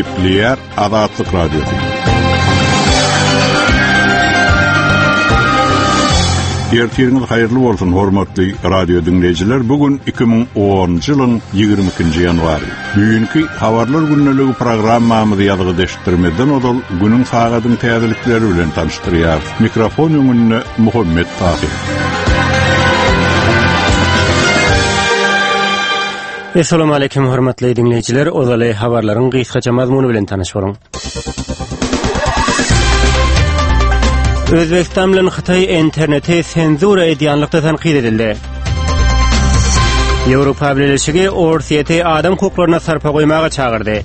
Gepleýär Azatlyk Radiosy. Ertiriňiz haýyrly bolsun, hormatly radio diňleýjiler. Bu gün 2010-njy ýylyň 22-nji ýanwary. Düýnki Habarlar gündeligi programmamyzy ýazgyda eşitdirmezden ozal günüň sagadyň täzelikleri bilen tanyşdyrýarys. Mikrofon öňünde Muhammet Tahyr. Essalamu aleýkum hormatly diňleýjiler, ozaly habarlaryň gysgaça mazmuny bilen tanyş boluň. Özbegistan bilen Hytaý interneti senzura edýänlikde tankyt edildi. Ýewropa Bileleşigi Orsýeti adam hukuklaryna sarpa goýmaga çagyrdy.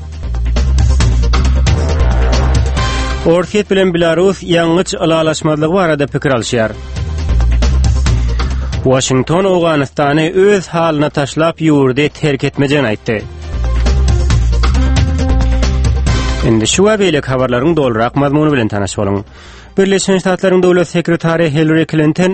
Orsýet bilen Belarus ýangyç ylalaşmazlygy barada pikir alyşýar. Waşington Owganystany öz halyna taşlap ýurdy terk etmejegini aýtdy. Indi şu we beýleki habarlaryň dolurak mazmuny bilen tanyş boluň. Birleşen Ştatlaryň döwlet sekretary Hillary Klinton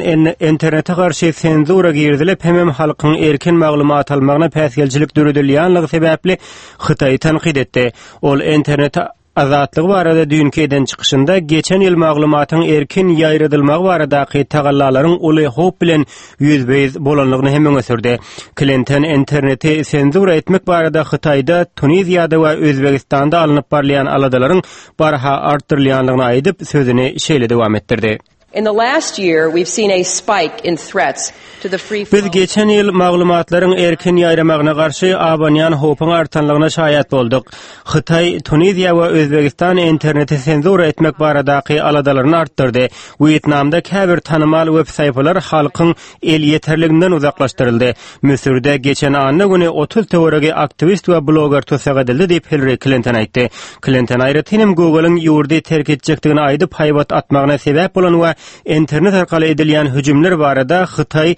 internete garşy senzura girizilip hemem halkyň erkin maglumat almagyna päsgelçilik döredilýänligi sebäpli Hytaýy tankyt etdi. Ol internet azatlygy barada düýnki eden çykyşynda geçen ýyl maglumatyň erkin ýaýradylmagy baradaky tagallalaryň uly howp bilen ýüzbe-ýüz bolandygyny hem öňe sürdi. Klinton interneti senzura etmek barada Hytaýda, Tuniziýada we Özbegistanda alnyp barylýan aladalaryň barha artdyrylýandygyny aýdyp, sözüni şeýle dowam etdirdi. In the last year, we've seen a spike in threats to the free Biz geçen ýyl maglumatlaryň erkin ýaýramagyna garşy abanýan howpuň artanlygyna şaýat bolduk. Hytaý, Tuniziýa we Özbegistan interneti senzura etmek baradaky aladalaryny artdyrdy. Wýetnamda käbir tanymal web saýpalar halkyň elýeterliginden uzaklaşdyryldy. Müsürde geçen anna güni 30 töweregi aktiwist we bloger tussag edildi diýip, Hillari Klinton aýtdy. Klinton aýratyn hem Google-yň ýurdy terk etjekdigini aýdyp haýbat atmagyna sebäp bolan we internet arkaly edilýän hüjümler barada Hytaý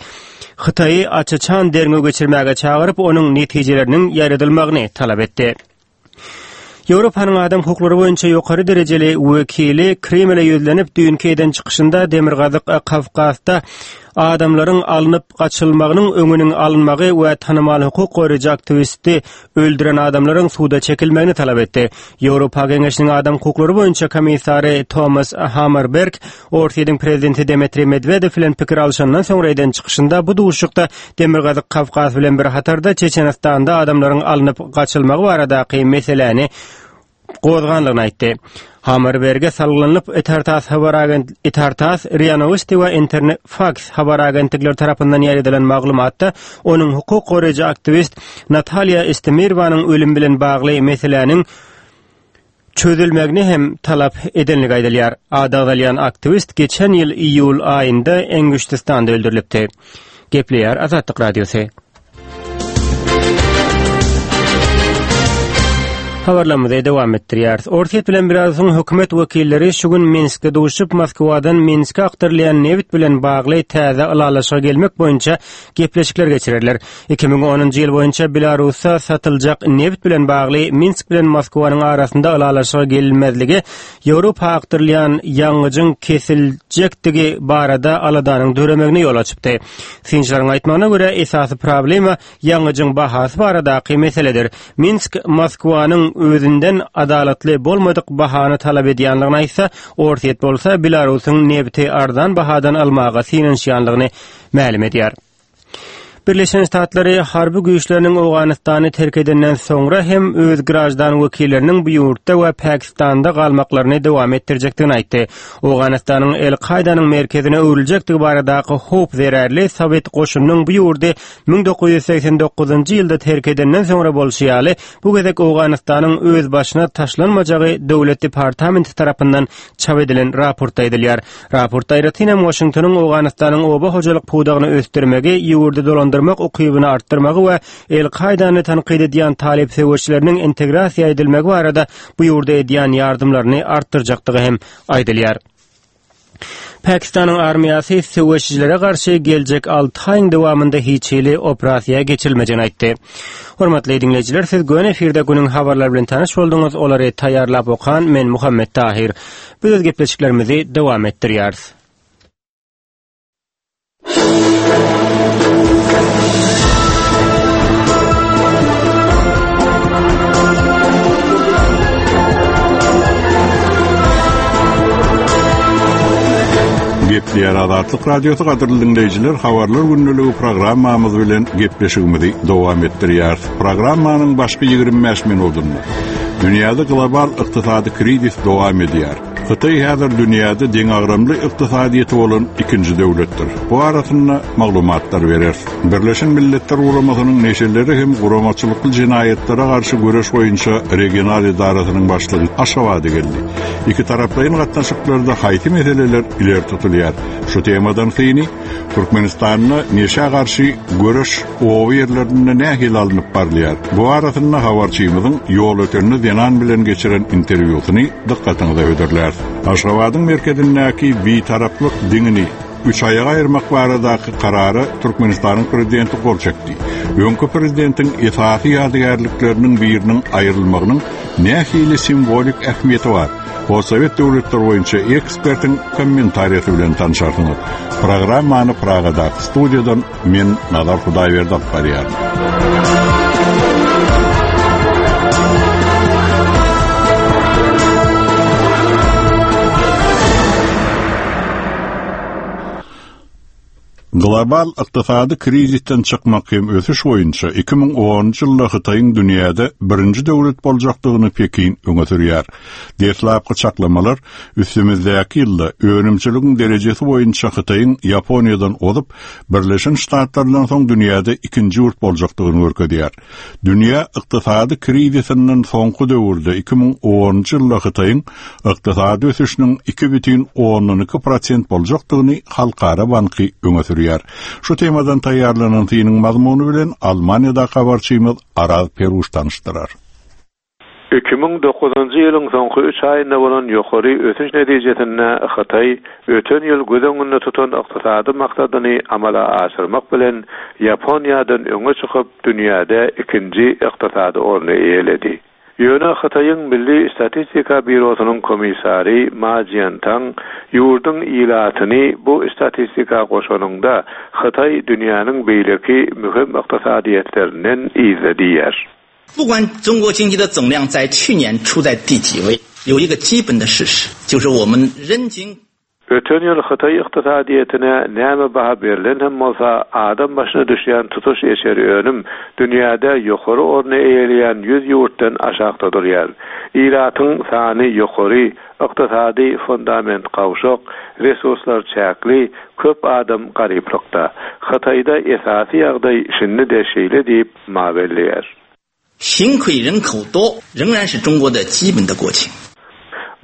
Hytaýy aç-açan derňew geçirmäge çagyryp, onuň netijeleriniň ýaýradylmagyny talap etdi. Ýewropanyň adam hukuklary boýunça ýokary derejeli wekili Kremle ýüzlenip, düýnki eden çykyşynda Demirgazyk Kawkazda adamlaryň alnyp gaçylmagynyň öňüniň alynmagy we tanymal hukuk goraýjy aktiwisti öldüren adamlaryň suda çekilmegini talap etdi. Ýewropa Geňeşiniň adam hukuklary boýunça komissary Tomas Hammarberg Orsýetiň prezidenti Dmitriý Medwedew bilen pikir alşandan soňra eden çykyşynda bu duşuşykda Demirgazyk Kawkaz bilen bir hatarda Çeçenistanda adamlaryň alnyp gaçylmagy baradaky meseläni gozganlygyny aýtdy. Hammarberge salgylanyp, Itartas habar agent Itartas, RIA Nowosti we Interfax habar agentlikleri tarapyndan ýaýradylan maglumatda onuň hukuk goraýjy aktiwist Natalýa Estemirowanyň ölümi bilen bagly meseläniň çözülmegini hem talap edenligi aýdylýar. Ady agzalýan aktiwist geçen ýyl iýul aýynda Enguştystanda öldürilipdi. Gepleýär Azatlyk Radiosy. Habarlarymyzy dowam etdirýäris. Orsýet bilen Belarusyň hökümet wekilleri şu gün Minskde duşup, Moskwadan Minske akdyrylýan nebit bilen bagly täze ylalaşyga gelmek boýunça gepleşikler geçirerler. 2010-njy ýyl boýunça Belarusda satyljak nebit bilen bagly Minsk bilen Moskwanyň arasynda ylalaşyga gelinmezligi Ýewropa akdyrylýan ýangyjyň kesiljekdigi barada aladanyň döremegine ýol açypdy. Synçylaryň aýtmagyna görä, esasy problema ýangyjyň bahasy baradaky meseledir. Minsk Moskwanyň özünden adalatly bolmadyk bahany talap edýänligini aýtsa, Orsýet bolsa Belarusyň nebiti arzan bahadan almaga synanyşýanlygyny mälim edýär. Birleşen Ştatlary harby güýçleriniň Owganystany terk edenden soňra hem öz graždan wekilleriniň bu ýurtda we Pakistanda galmaklaryny dowam etdirjekdigini aýtdy. Owganystanyň El-Kaýdanyň merkezine öwrüljekdigi baradaky howp zerarly sowet goşunynyň bu ýurdy 1989-njy ýylda terk edenden soňra bolşy ýaly, bu gezek Owganystanyň özbaşyna taşlanmajagy Döwlet departamenti tarapyndan çap edilen raportda aýdylýar. Raportda aýratyn hem Waşingtonyň Owganystanyň oba hojalyk pudagyny ösdürmegi, ýurdy dolandyrmak ukybyny artdyrmagy we El-Kaýdany tankyt edýän talyp söweşçileriniň integrasiýa edilmegi barada bu ýurda edýän ýardymlaryny artdyrjakdygy hem aýdylýar. Pakistanyň armiýasy söweşijilere garşy geljek alty aýyň dowamynda hiç hili operasiýa geçirilmejegini aýtdy. Hormatly diňleýjiler, siz göni efirde günüň habarlary bilen tanyş bolduňyz. Olary taýýarlap okan men Muhammet Tahir. Biz öz gepleşiklerimizi dowam etdirýäris. Eşidilýär Azatlyk Radiosy gadyrly diňleýjiler habarlar gündeligi programmamyz bilen gepleşigimizi dowam etdirýäris. Programmanyň başky 25 minutynda dünýäde global ykdysady krizis dowam edýär. Hytaý häzir dünýäde deňagramly ykdysadyýeti bolan ikinji döwletdir. Bu arasynda maglumatlar bereris. Birleşen Milletler Guramasynyň neşelere hem guramaçylykly jenaýatlara garşy göreş boýunça regional edarasynyň başlygy Aşgabada geldi. Ikitaraplaýyn gatnaşyklarda haýsy meseleler ileri tutulýar? Şu temadan syny Türkmenistanda neşä garşy göreş oba ýerlerinde nähili alnyp barylýar? Bu arasynda habarçymyzyň Ýolötende zenan bilen geçiren interwýusyny dykgatyňyza hödürläris. Aşgabadyň merkezindäki Bitaraplyk diňini üç aýaga aýyrmak baradaky karara Türkmenistanyň Prezidenti gol çekdi. Öňki prezidentiň esasy ýadygärlikleriniň biriniň aýrylmagynyň nähili simwolik ähmiýeti bar? Postsowet döwletler boýunça ekspertiň kommentariýasy bilen tanşarsyňyz. Programmany Pragadaky studiýadan men Nazar Hudaýberdi alyp barýaryn. Global ykdysady krizisden çykmak hem ösüş boýunça 2010-njy ýylda Hytaýyň dünýäde birinji döwlet boljakdygyny Pekin öňe sürýär. Deslapky çaklamalar üstümizdäki ýylda önümçiligiň derejesi boýunça Hytaýyň Ýaponiýadan ozup, Birleşen Ştatlardan soň dünýäde ikinji ýurt boljakdygyny görkezýär. Dünýä ykdysady krizisinden soňky döwürde 2010-njy ýylda Hytaýyň ykdysady ösüşiniň 2,2 prosent boljakdygyny Halkara banky öňe sürýär. Şu temadan taýýarlanan synyň mazmuny bilen Almaniýadaky habarçymyz Araz Peruş tanyşdyrar. 2009-njy ýylyň soňky üç aýynda bolan ýokary ösüş netijesinde Hytaý öten ýyl göz öňünde tutan ykdysady maksadyny amala aşyrmak bilen Ýaponiýadan öňe çykyp, dünýäde ikinji ykdysady orny eýeledi. Ýöne Hytaýyň Milli statistika býurosynyň komissary Ma Jiantang ýurduň ilatyny bu statistika goşanyňda Hytaý dünýäniň beýleki möhüm ykdysadyýetlerinden yzda diýýär. 不管中国经济的总量在去年处在第几位， 有一个基本的事实， 就是我们人均。 Öten ýyl Hytaý ykdysadyýetine näme baha berlen hem bolsa, adam başyna düşýän tutuş içeri önüm dünýäde ýokary orny eýeleýän 100 ýurtdan aşakda durýar. Ilatyň sany ýokary, ykdysady fundament gawşak, resurslar çäkli, köp adam garyplykda. Hytaýda esasy ýagdaý şindi-de şeýle diýip, Ma belleýär. 贫困人口多仍然是中国的基本的国情。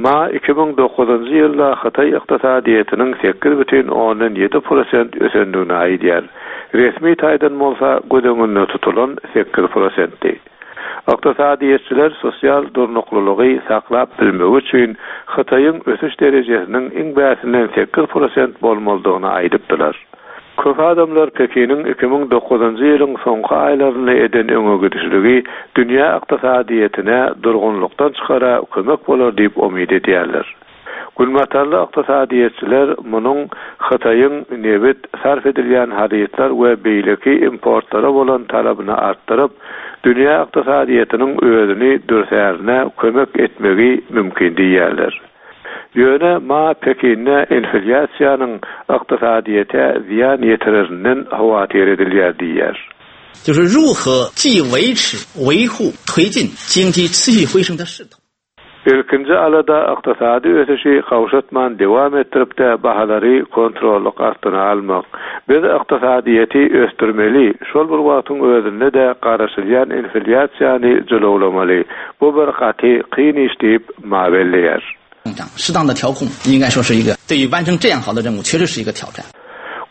Ma 2009-njy ýylda Hytaý ykdysadyýetiniň 8,7 prosent ösendigini aýdýar. Resmi taýdan bolsa göz öňünde tutulan 8 prosentdi. Ykdysadyýetçiler sosial durnuklylygy saklap bilmegi üçin Hytaýyň ösüş derejesiniň iň bäsinden 8 prosent bolmalydygyny aýdypdylar. Köp adamlar Pekiniň 2009-njy ýylyň soňky aýlarynda eden öňegidişligi dünýä ykdysadyýetine durgunlykdan çykara kömek bolar diýip umyt edýärler. Günbatarly ykdysadyýetçiler munuň Hytaýyň nebit, sarp edilýän harytlar we beýleki importlara bolan talabyny artdyryp, dünýä ykdysadyýetiniň özüni dürsärine kömek etmegi mümkin diýýärler. Ýöne Ma Pekinde inflýasiýanyň ykdysadyýete zyýan ýetirerinden howatyr edilýär diýýär. 就是如何既维持、维护、推进经济持续回升的势头。 Ilkinji alada ykdysady ösüşi gowşatman dowam etdirip-de bahalary kontrollyk astyna almak. Biz ykdysadyýeti ösdürmeli, şol bir wagtyň özünde-de garaşylýan inflýasiýany jylawlamaly. Bu bir gaty kyn iş diýip, Ma belleýär. 适当的调控应该说是一个对于完成这样好的任务， 确实是一个挑战。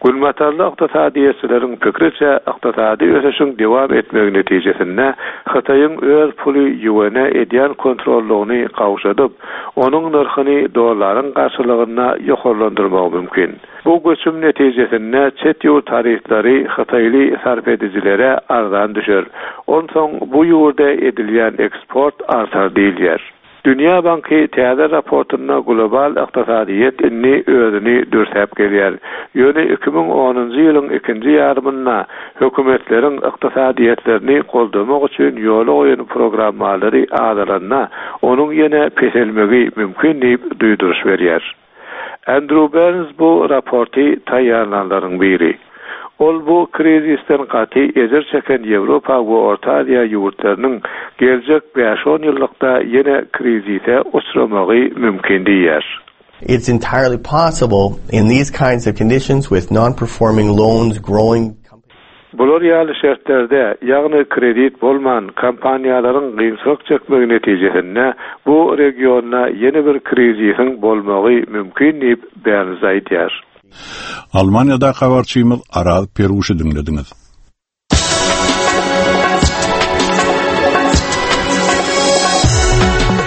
Günbatarly ykdysadyýetçileriň pikriçe, ykdysady ösüşiň dowam etmegi netijesinde Hytaýyň öz puly ýuene edýän kontrollygyny gowşadyp, onuň nyrhyny dollaryň garşylygynda ýokarlandyrmagy mümkin. Bu göçüm netijesinde çet ýurt harytlary hytaýly sarp edijilere arzan düşer. Onsoň bu ýurda edilýän eksport artar diýilýär. Dünýä banky täze raportynda global ykdysadyýet indi özüni dürsäp gelýär. Ýöne 2010-njy ýylyň ikinji ýarymynda hökümetleriň ykdysadyýetlerini goldamak üçin ýola goýan programmalary azalanda, onuň ýene peselmegi mümkin diýip duýduryş berýär. Andrew Berns bu raporty taýýarlanlaryň biri. Ol bu krizisden gaty ejir çeken Ýewropa we Orta Aziýa ýurtlarynyň geljek bäş-on ýyllykda ýene krizise uçramagy mümkin diýýär. It's entirely possible in these kinds of conditions with non-performing loans growing. Bular ýaly şertlerde, ýagny kredit bolman, kompaniýalaryň gynçylyk çekmegi netijesinde bu regionda ýene bir krizisiň bolmagy mümkin diýip, Berns aýdýar. Almaniýadaky habarçymyz Araz Peruşy diňlediňiz.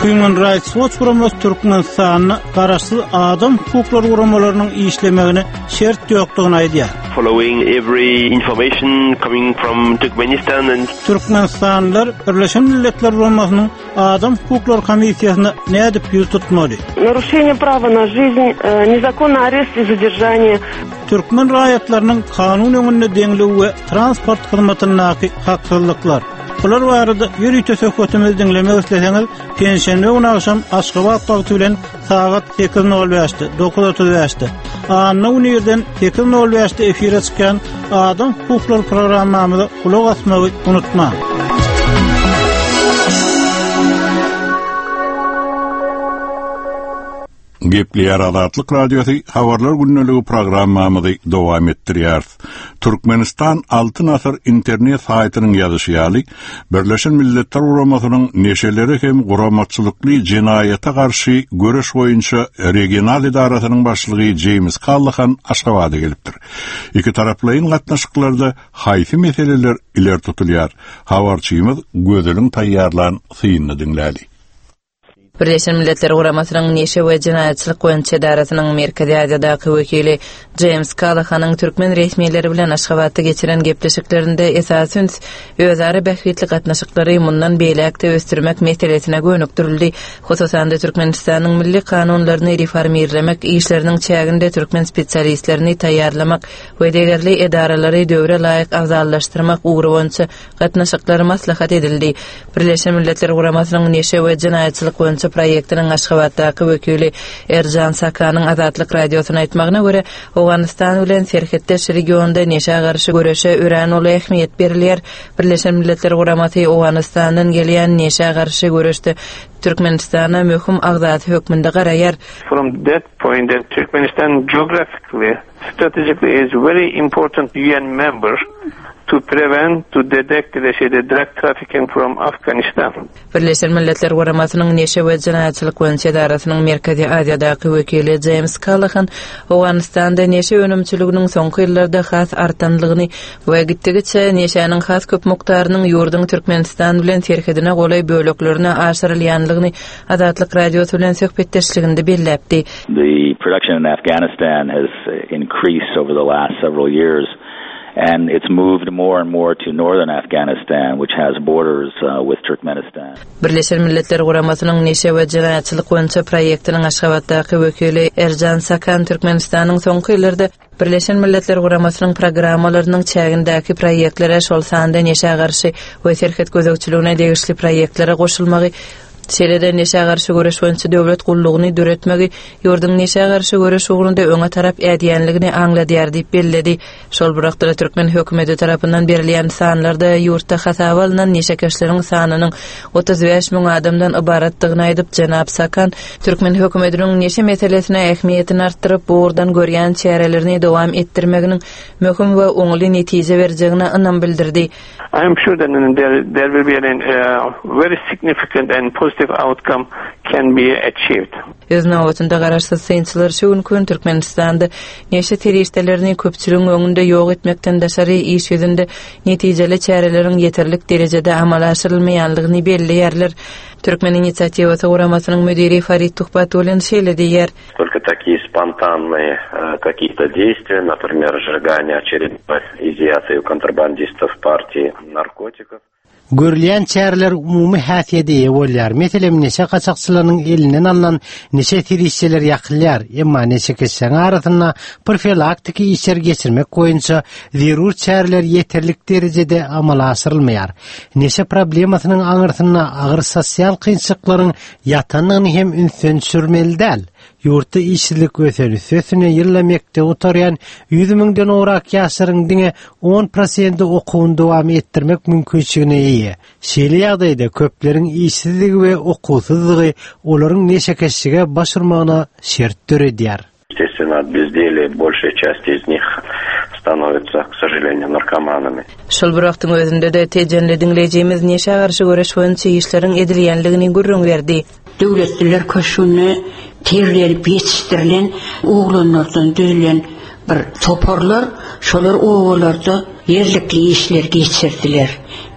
Human Rights Watch guramasy Türkmenistanda garaşsyz adam hukuklary guramalarynyň işlemegine şert ýokdugyny aýdýar. Following every information coming from Turkmenistan and Türkmenistanlylar Birleşen Milletler Guramasynyň Adam hukuklary komissiýasyna nädip ýüz tutmaly? Narušение prava na жизнь, nezakonny arest i zadержание. Türkmen raýatlarynyň kanun öňünde deňligi we transport hyzmatyndaky haksyzlyklar. Bular barada ýörite söhbetimizi diňlemek isleseňiz, penşenbe güni agşam Aşgabat wagty bilen sagat 8:05-de, 9:35-de, anna güni irden 8:05-de efire çykýan Adam hukuklary programmamyza gulak asmagy unutmaň. Gepleýär Azatlyk Radiosy Habarlar gündeligi programmamyzy dowam etdirýäris. Türkmenistan Altyn asyr internet saýtynyň ýazyşy ýaly, Birleşen Milletler Guramasynyň neşelere hem guramaçylykly jenaýata garşy göreş boýunça regional edarasynyň başlygy Jeýms Kallahan Aşgabada gelipdir. Ikitaraplaýyn gatnaşyklarda haýsy meseleler ileri tutulýar? Habarçymyz Gözeliň taýýarlan synyny diňläli. Birleşen Milletler Guramasynyň Neşe we jenaýatçylyk boýunça edarasynyň Merkezi Aziýadaky wekili Jeýms Kallahanyň türkmen resmileri bilen Aşgabatda geçiren gepleşiklerinde esasy üns özara bähbitli gatnaşyklary mundan beýläk-de ösdürmek meselesine gönükdirildi. Hususan-da, Türkmenistanyň milli kanunlaryny reformirlemek işleriniň çäginde türkmen spesialistlerini taýýarlamak we degerli edaralary döwre laýyk abzallaşdyrmak ugry boýunça gatnaşyklar maslahat edildi. Birleşen Milletler Guramasynyň Neşe we jenaýatçylyk boýunça proýektiniň Aşgabatdaky wekili Erjan Sakanyň Azatlyk Radiosyna aýtmagyna görä, Owganystan bilen serhetdeş regionda neşä garşy göreşe örän uly ähmiýet berilýär. Birleşen Milletler Guramasy Owganystandan gelýän neşä garşy göreşde Türkmenistana möhüm agzasy hökmünde garaýar. From that point that Turkmenistan geographically Strategically is very important UN member to prevent, to detect the drug trafficking from Afghanistan. Birleşen Milletler Guramasynyň Neşe we jenaýatçylyk boýunça edarasynyň Merkezi Aziýadaky wekili Jeýms Kallahan Owganystanda neşe önümçiliginiň soňky ýyllarda has artanlygyny we gitdigiçe neşäniň has köp mukdarynyň ýurduň Türkmenistan bilen serhedine golaý böleklerine aşyrylýanlygyny Azatlyk Radiosy bilen söhbetdeşliginde belläpdi. The production in Afghanistan has increased over the last several years and it's moved more and more to northern Afghanistan which has borders with Turkmenistan. Birleşen Milletler Guramasynyň Neşe we jenaýatçylyk boýunça proýektiniň Aşgabatdaky wekili Erjan Sakan Türkmenistanyň soňky ýyllarda Birleşen Milletler Guramasynyň programmalarynyň çägindäki proýektlere, şol sanda neşä garşy we serhet gözegçiligine degişli proýektlere goşulmagy, şeýle-de neşä garşy göreş boýunça döwlet gullugyny döretmegi ýurduň neşä garşy göreş ugrunda öňe tarap ädýänligini aňladýar diýip belledi. Şol bir wagtda-da türkmen hökümeti tarapyndan berilýän sanlarda ýurtda hasaba alnan neşekeşleriň sanynyň 35 müň adamdan ybaratdygyny aýdyp, jenap Sakan türkmen hökümetiniň neşe meselesine ähmiýetini artdyryp, bu ugurdan görýän çärelerini dowam etdirmeginiň möhüm we oňaly netije berjegine ynam bildirdi. I am sure that there, there will be a very significant and positive outcome can be achieved. Öz nobatynda garaşsyz synçylar şu günki gün Türkmenistanda neşe serişdelerini köpçüligiň öňünde ýok etmekden daşary iş ýüzünde netijeli çäreleriň ýeterlik derejede amala aşyrylmaýanlygyny belleýärler. Türkmen inisiatiwasy guramasynyň müdiri Farid Tuhbatullin şeýle diýýär. Только такие спонтанные какие-то действия, например, сжигание очередной изъятой у контрабандистов партии наркотиков. Görülýän çäreler umumy häsiýede eýe bolýar. Meselem, neşe gaçakçylarynyň elinden alnan neşe serişdeleri ýakylýar, emma neşekeşleriň arasynda profilaktiki işleri geçirmek boýunça zerur çäreler ýeterlik derejede amala aşyrylmaýar. Neşe problemasynyň aňyrsynda agyr sosial kynçylyklaryň ýatandygyny hem ünsden düşürmeli däl. Ýurtda işsizlik ösen, üstesine ýylda mekdebi gutarýan 100 müňden gowrak ýaşlaryň diňe 10 prosenti okuwyny dowam etdirmek mümkinçiligine eýe. Şeýle ýagdaýda köpleriň işsizligi we okuwsyzlygy olaryň neşekeşlige baş urmagyna şert döredýär. Естественно, от безделия большая часть из них становится, к сожалению, наркоманами. Şol bir wagtyň özünde-de tejenli diňleýjimiz neşä garşy göreş boýunça işleriň edilýänligini gürrüň berdi. Döwletliler köşgünde terbiýelenip ýetişdirilen oglanlardan düzülen bir toparlar şolar obalarda ýerlikli işleri geçirdiler.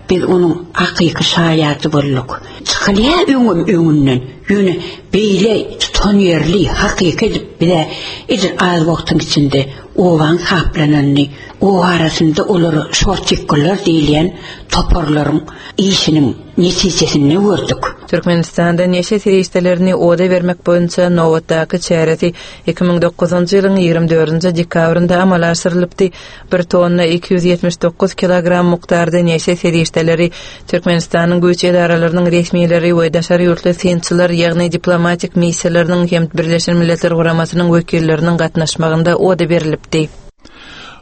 Biz onuň hakyky şaýady bolduk. Çykylýar öňem öňünden, ýöne beýle tutanýerli, hakyky edip bize edil az wagtyň içinde obaň saplananyny, oba arasynda olara şortikgullar diýilýän toparlaryň işiniň netijesinde gördük. Türkmenistanda neşe serişdelerini oda bermek boýunça nobatdaky çäresi 2009-njy ýylyň 24-nji dekabrynda amala aşyrylypdy. Bir tonna 279 kilogram mukdarda neşe serişdeleri Türkmenistanyň güýç edaralarynyň resmileri we daşary ýurtly synçylar, ýagny diplomatik missiýalarynyň hem Birleşen Milletler Guramasynyň wekilleriniň gatnaşmagynda oda berlipdi.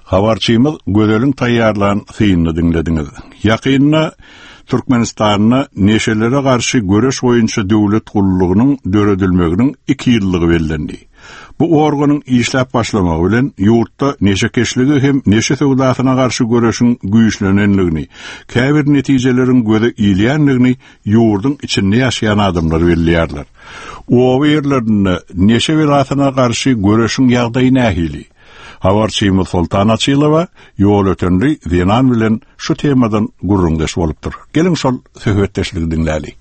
Habarçymyz Gözeliň taýýarlan synyny diňlediňiz. Ýakynda Türkmenistanda neşelere garşy göreş boýunça döwlet gullugynyň döredilmeginiň iki ýyllygy bellendi. Bu organyň işläp başlamagy bilen ýurtda neşekeşlige hem neşe söwdasyna garşy göreşiň güýçlenendigini, käbir netijeleriň göze ilýändigini ýurduň içinde ýaşaýan adamlar belleýärler. Oba ýerlerinde neşe belasyna garşy göreşiň ýagdaýy nähili? Habarçymyz Soltan Açylowa ýolötenli zenan bilen şu temadan gürrüňdeş bolupdyr. Geliň şol söhbetdeşligi diňläli.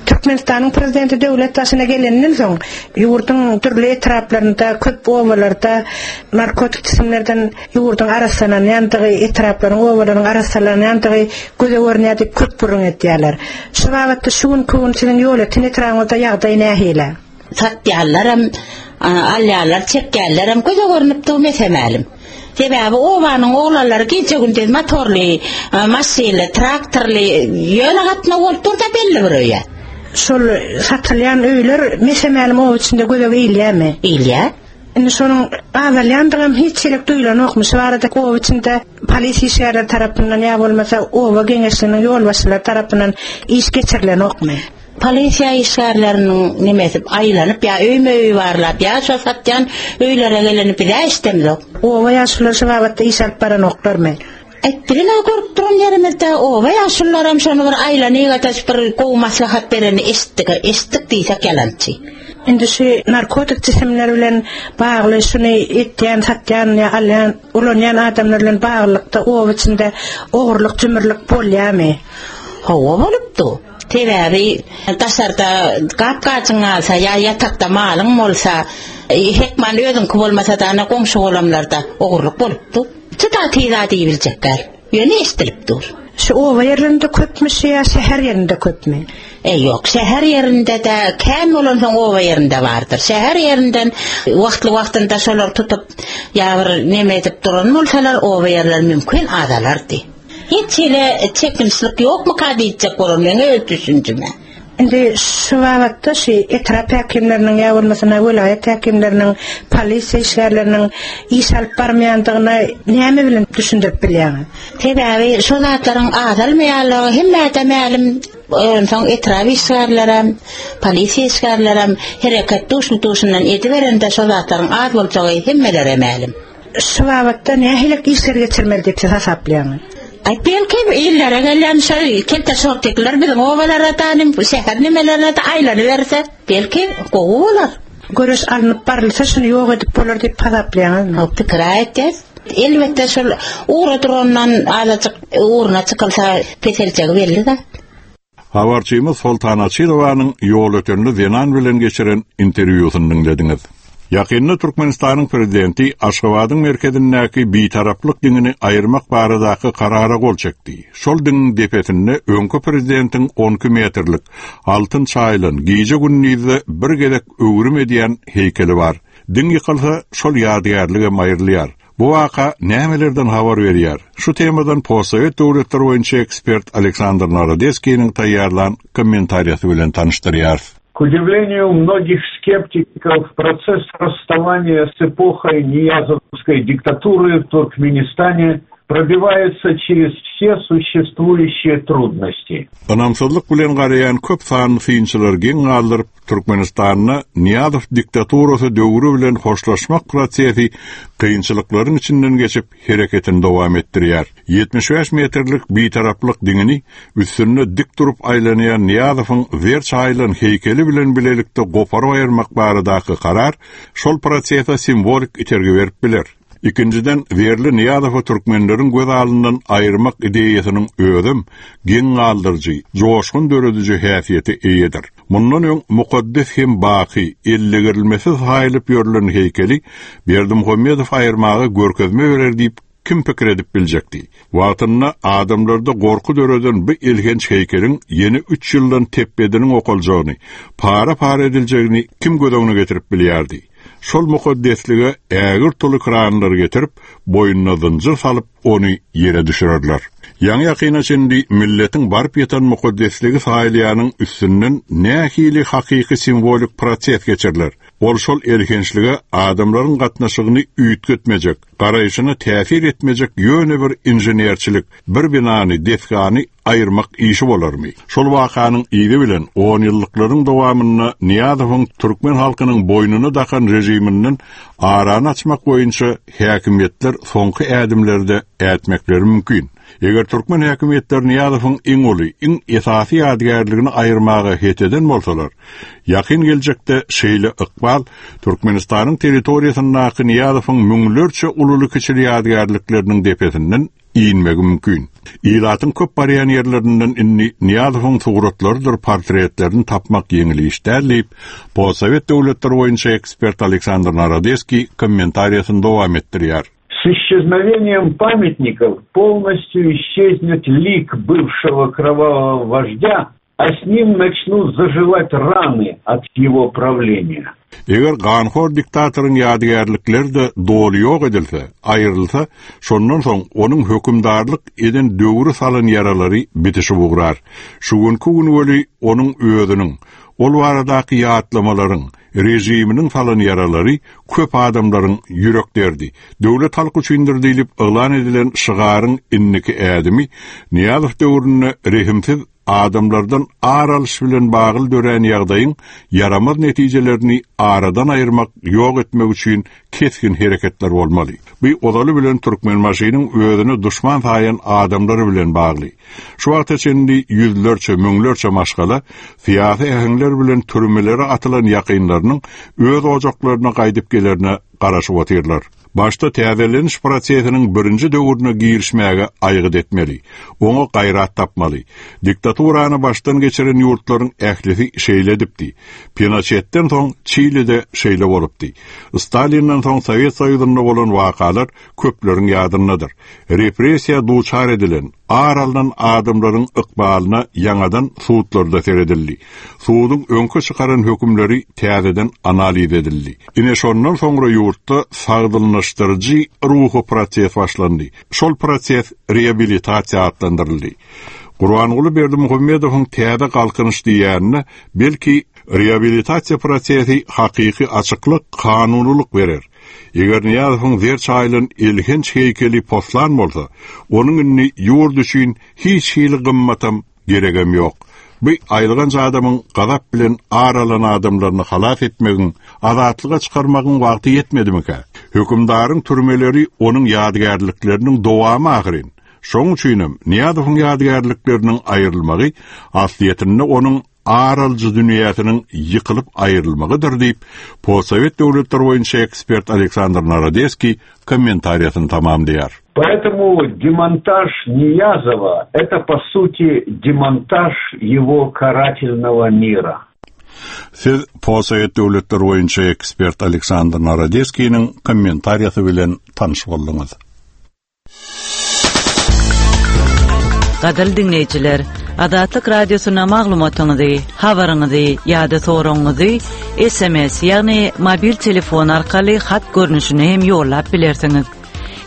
Türkmenistanyň Prezidenti döwlet başyna geleninden soň, ýurduň dürli etraplarynda, köp obalarda narkotik jisimlerden ýurduň arassalanýandygy, etraplaryň, obalaryň arassalanýandygy göze görünýär diýip köp gürrüň edýärler. Şu babatda şu günki gün siziň Ýolöten etrabyňyzda ýagdaý nähili? Satýanlaram, alýanlar, çekýänlerem göze görnüp dur mese-mälim. Sebäbi obanyň oglanlary gije-gündiz motorly, maşynly, traktorly ýöne gatnaw bolup dur-da belli bir öýe. Şol satylýan öýler mese-mälim oba içinde göze ilýärmi? Ilýär. Indi şonuň azalýandygam hiç ýerek duýlanokmy? Şu barada oba içinde polisiýa işgärleri tarapyndan ýa bolmasa oba geňeşliginiň ýolbaşçylary tarapyndan iş geçirilenokmy? Polisiýa işgärleriniň nemesi aýlanyp ýa öýme-öý barlap, ýa şo satýan öýlere geleni biz-ä eşidemzok. Oba ýaşululary şu babatda iş alyp baranoklarmy? Aý, biziň-ä görüp duran ýerimizde oba ýaşulularam şony bir aýlanyp-adaş bir gowy maslahat berenini eşitdik-ä, eşitdik diýsek ýalançy. Indi şu narkotik jisimler bilen bagly şuny etýän, satýan ýa alýan, ulanýan adamlar bilen baglylykda oba içinde ogurlyk-jümürlik bolýarmy? Hawa bolupdy. Sebäbi daşarda gap-gajyň galsa ýa ýatakda malyň bolsa, hökman özüňki bolmasa-da ana goňşy-golamlarda ogurlyk bolup dur. Juda tiz-ä diýibiljek däl. Ýöne eşidilip dur. Şu oba ýerlerinde köpmi şu ýa şäher ýerinde köpmi? E, ýok, şäher ýerinde-de kän bolansoň oba ýerinde bardyr. Şäher ýerinden wagtly-wagtynda şolary tutup ýa bir neme edip duran bolsalar, oba ýerleri mümkin azalardy. Hiç hili çekinçlik ýokmyka diýjek bolar meň öz düşünjime. Indi şu babatda şu etrap häkimleriniň ýa bolmasa welaýat häkimleriniň, polisiýa işgärleriniň iş alyp barmaýandygyny näme bilen düşündirip bilýäňiz? Sebäbi şo zatlaryň azalmaýanlygy hemmä-de mälim. Onsoň etrap işgärlerem, polisiýa işgärlerem hereket duşly-duşundan ediberende şo zatlaryň az boljagy hemmelere mälim. Şu babatda nähili işler geçirmeli diýip siz hasaplaýaňyz? Aý, belki illere gelýän şo kelte şortikler biziň obalara-da, şäher nemelerine-de aýlanyberse, belki gowy bolar. Göreş alnyp barylsa şuny ýok edip bolar diýip hasaplaýaňyzmy? Hawa, pikir-ä etýäs. Elbetde şol ugra durandan azajyk ugruna çykylsa peseljegi belli zat. Habarçymyz Soltan Açyrowanyň ýolötenli zenan bilen geçiren interwýusyny diňlediňiz. Ýakynda Türkmenistanyň Prezidenti Aşgabadyň merkezindäki Bitaraplyk diňini aýyrmak baradaky Karara gol çekdi. Şol diňiň depesinde öňki Prezidentiň 12 metrlik, altyn çaýylan, gije-gündizde bir gezek öwrüm edýän heýkeli bar. Diň ýykylsa, şol ýadygärligem aýrylýar. Bu waka nämelerden habar berýär? Şu temadan postsowet döwletleri boýunça ekspert Aleksandr Narodeskiniň taýýarlan kommentariýasy bilen tanyşdyrýarys. К удивлению многих скептиков, процесс расставания с эпохой ниязовской диктатуры в Туркменистане пробивается через все существующие трудности. Ynamsyzlyk bilen garaýan köp sanly synçylary geň galdyryp, Türkmenistanda Nyýazow diktaturasy döwri bilen hoşlaşmak prosesi kynçylyklaryň içinden geçip, hereketini dowam etdirýär. 75 metrlik Bitaraplyk diňini üstünde dik durup aýlanýan Nyýazowyň zer çaýylan heýkeli bilen bilelikde goparyp aýyrmak baradaky karar şol prosese simwolik itergi berip biler. Ikinjiden, zerli Nyýazowy türkmenleriň göz alyndan aýyrmak ideýasynyň özem geň galdyryjy, joşgun dörediji häsiýete eýedir. Mundan öň mukaddes hem baky, ellegirilmesiz saýylyp ýörlen heýkeli Berdimuhamedow aýyrmaga görkezme berer diýip kim pikir edip biljekdi? Wagtynda adamlarda gorky döreden bu elhenç heýkeliň ýene üç ýyldan tepbediniň okaljagyny, para-para ediljegini kim göz öňüne getirip bilýärdi? Şol mukaddeslige ägirt uly kranlary getirip, boýnuna zynjyr salyp, ony ýere düşürerler. Ýaňy-ýakyna çenli milletiň baryp ýatan mukaddesligi saýylýanyň üstünden nähili hakyky simwolik proses geçiriler? Ol şol elhençlige adamlaryň gatnaşygyny üýtgetmejek, garaýşyna täsir etmejek ýöne bir inženerçilik, bir binany, desgany aýyrmak işi bolarmy? Şol wakanyň yzy bilen onýyllyklaryň dowamynda Nyýazowyň türkmen halkynyň boýnuna dakan režiminden arany açmak boýunça häkimiýetler soňky ädimleri-de ätmekleri mümkin. Eger türkmen häkimiýetleri Nyýazowyň iň uly, iň esasy ýadygärligini aýyrmaga het eden bolsalar, ýakyn geljekde şeýle ykbal Türkmenistanyň territoriýasyndaky Nyýazowyň müňlerçe ululy-kiçili ýadygärlikleriniň depesinden inmegi mümkin. Ilatyň köp barýan ýerlerinden indi Nyýazowyň suratlarydyr portretlerini tapmak ýeňil iş däl diýip, postsowet döwletleri boýunça ekspert Aleksandr Narodeskiý kommentariýasyny dowam etdirýär. S исчезновением памятников полностью исчезнет лик бывшего кровавого вождя, a s nim načnut zajivать rany от ýego prawleniýa. Eger ganhor diktatoryň ýadygärlikleri-de doly ýok edilse, aýrylsa, şondan soň onuň hökümdarlyk eden döwri salan ýaralary bitişip ugrar. Şu günki gün weli onuň özüniň, ol baradaky ýatlamalaryň, režiminiň salan ýaralary köp adamlaryň ýürek derdi. Döwlet halk üçindir diýlip yglan edilen şygaryň indiki ädimi Nyýazow döwründe rehimsiz Adamlardan ar alyş bilen bagly dörän ýagdaýyň ýaramaz netijelerini aradan aýyrmak, ýok etmek üçin kesgin hereketler bolmaly. Bu ozaly bilen Türkmenbaşynyň özüne duşman saýan adamlary bilen bagly. Şu wagta çenli ýüzlerçe, müňlerçe maşgala syýasy äheňler bilen türmelere atylan ýakynlarynyň öz ojaklaryna gaýdyp gelerine garaşyp otyrlar. Başda täzeleniş prosesiniň birinji döwrüne girişmäge aýgyt etmeli. Oňa gaýrat tapmaly. Diktaturany başdan geçiren ýurtlaryň ählisi şeýle edipdi. Pinoçetden soň Çilide şeýle bolupdy. Stalinden soň Sowet Soýuzynda bolan wakalar köpleriň ýadyndadyr. Repressiýa duçar edilen, ar alnan adamlaryň ykbalyna ýaňadan sudlarda seredildi. Suduň öňki çykaran hökümleri täzeden analiz edildi. Ine şondan soňra ýurtda sagdynlaşdyryjy ruhy proses başlandy. Şol proses reabilitasiýa atlandyryldy. Gurbanguly Berdimuhamedowyň täze galkynyş diýýänine belki reabilitasiýa prosesi hakyky açyklyk, kanunylyk berer. Eger Nyýazowyň zer çaýylan elhenç heýkeli poslan bolsa, onuň indi ýurt üçin hiç hili gymmatam, geregem ýok. Bu aýylganç adamyň gazap bilen ar alan adamlaryny halas etmegiň, azatlyga çykarmagyň wagty ýetmedimikä? Hökümdaryň türmeleri onuň ýadygärlikleriniň dowamy ahyryn. Şoň üçinem Nyýazowyň ýadygärlikleriniň aýrylmagy aslyýetinde onuň ar alyjy dünýäsiniň ýykylyp aýrylmagydyr diýip, postsowet döwletleri boýunça ekspert Aleksandr Narodeskiý kommentariýasyny tamamlaýar. Поэтому демонтаж Ниязова – это, по сути, демонтаж его карательного мира. Siz postsowet döwletleri boýunça ekspert Aleksandr Narodeskiniň kommentariýasy bilen tanyş bolduňyz. Gadyrly diňleýjiler, Azatlyk Radiosyna maglumatyňyzy, habaryňyzy ýa-da soragyňyzy SMS, ýagny mobil telefon arkaly hat görnüşinde hem ýollap bilersiňiz.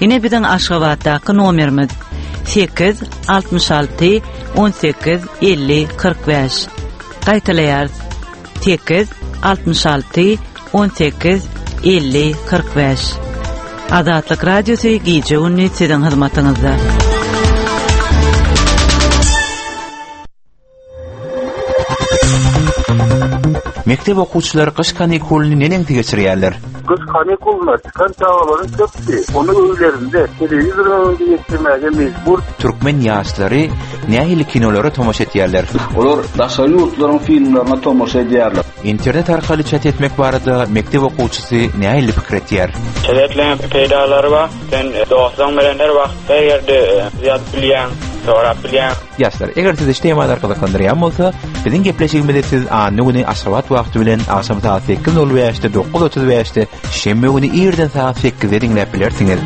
Ine biziň Aşgabatdaky nomerimiz 8 66 18 50 45. Gaýtalaýarys. 8 66 18 50 45. Azatlyk Radiosy gije-gündiz siziň hyzmatyňyzda. Mekdep okuwçylary gyş kanikulyny neneňsi geçirýärler? Gyş kanikulyna çykan çagalaryň köpüsi ony öýlerinde, telewizoryň öňünde geçirmäge mejbur. Türkmen ýaşlary nähili kinolara tomaşa etýärler? Olar daşary ýurtlaryň filmlerine tomaşa edýärler. Internet arkaly çat etmek barada mekdep okuwçysy nähili pikir etýär? Çat etmegiň peýdalary bar. Sen dostlaryň bilen her wagt, her ýerde ýazyp bilýäň, sorap bilýäň. Ýaşlar, eger sizi şu temalar gyzyklandyrýan bolsa, biziň gepleşigimizi siz anna güni Aşgabat wagty bilen agşam sagat 8:05-de, 9:35-de, şenbe güni irden sagat 8-de diňläp bilersiňiz.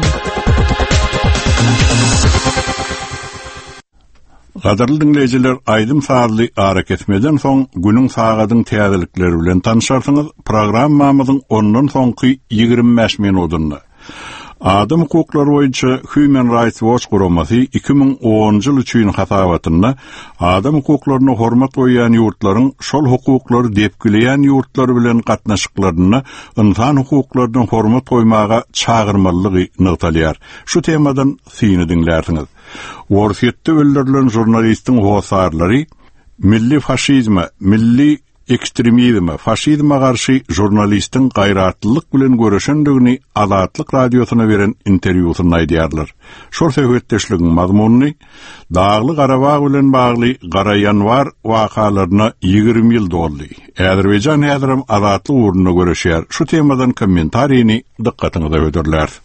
Gadyrly diňleýjiler, aýdym-sazly arakesmeden soň günüň sagadyň täzelikleri bilen tanyşarsyňyz, programmamyzyň ondan soňky 25 minudynda. Adam hukuklary boýunça Human Rights Watch guramasy 2010-njy ýyl üçin hasabatynda adam hukuklaryna hormat goýýan ýurtlaryň şol hukuklary depgileýän ýurtlar bilen gatnaşyklarynda ynsan hukuklaryna hormat goýmaga çagyrmalydygy nygtalýar. Şu temadan syny diňlärsiňiz. Orsýetde öldürilen žurnalistiň hossarlary milli faşizme, milli ekstremizme, faşizme garşy žurnalistiň gaýratlylyk bilen göreşendigini Azatlyk Radiosyna beren interwýusynda aýdýarlar. Şol söhbetdeşligiň mazmunyny Dagly Garabag bilen bagly Gara ýanwar wakalaryna 20 ýyl doldy. Azerbaýjan häzirem azatlyk ugrunda göreşýär. Şu temadan kommentarini dykgatyňyza hödürläris.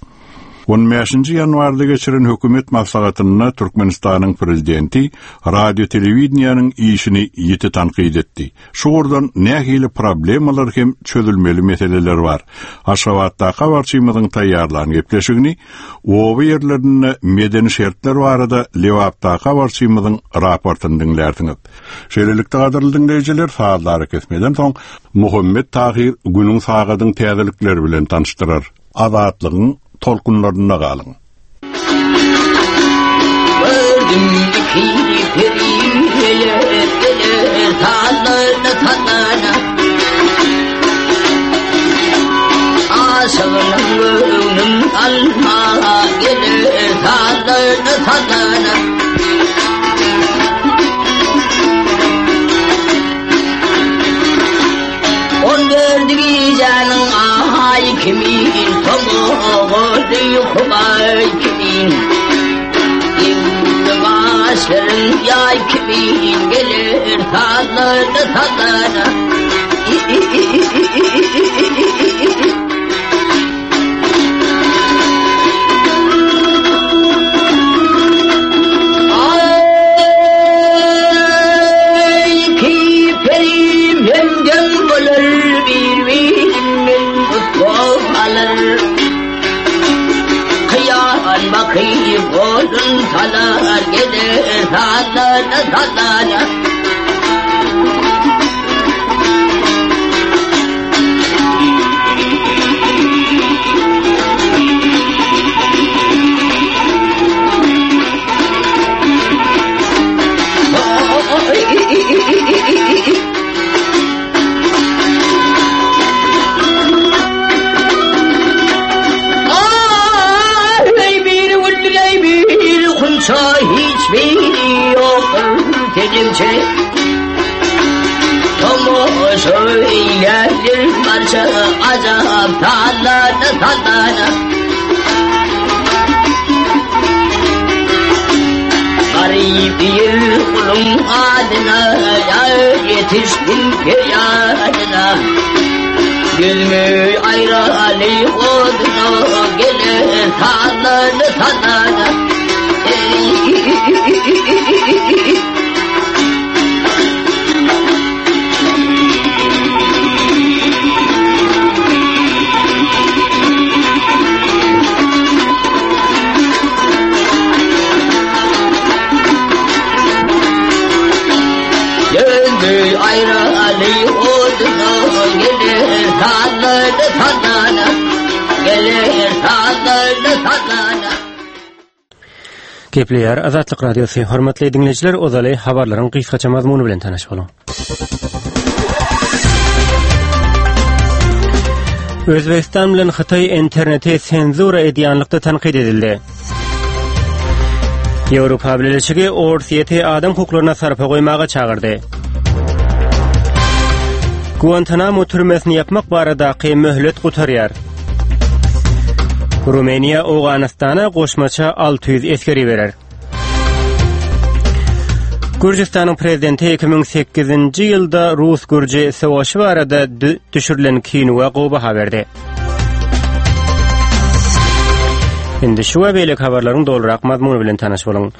On bäşinji ýanwarda geçiren hökümet maslahatynda Türkmenistanyň prezidenti radio-telewideniýäniň işini ýiti tankyt etdi. Şu ugurdan nähili problemalar hem çözülmeli meseleler bar? Aşgabatdaky habarçymyzyň taýýarlan gepleşigini, oba ýerlerinde medeni şertler barada Lebapdaky habarçymyzyň raportyny diňlärsiňiz. Şeýlelikde, gadyrly diňleýjiler, sazly arakesmeden soň Muhammet Tahyr günüň sagadyň täzelikleri bilen tanyşdyrar. Azatlygyň tolkunlarynda galyň. Gördüm iki peri geler geler sallana sallana Aşygynyň göwnün alma geler sallana sallana On dördü gijäniň aýy kimin, Tomagy humaý kimin. Indi gaşlaryň ýaý kimin, Geler sallana sallana. Salar gelir sallana sallana Hiçbiri yoktur telimçe Tomoşu ilerdir parça azap sallana sallana Garip bir kulun adına ya yetiştim feryadına Gülmü ayrı oduna gelir sallana sallana Döndü ayrı oduna gelir sallana sallana Gelir sallana sallana Gepleýär Azatlyk Radiosy. Hormatly diňleýjiler, ozaly habarlaryň gysgaça mazmuny bilen tanyş boluň. Özbegistan bilen Hytaý interneti senzura edýänlikde tankyt edildi. Ýewropa Bileleşigi Orsýeti adam hukuklaryna sarpa goýmaga çagyrdy. Guantanamo türmesini ýapmak baradaky möhlet gutarýar. Rumyniýa Owganystana goşmaça 600 esger iberer. Gürjüstanyň prezidenti 2008-nji ýylda rus-gürji söweşi barada düşürilen kinoa gowy baha berdi. Indi şu we beýleki habarlaryň dolurak mazmuny bilen tanyş boluň.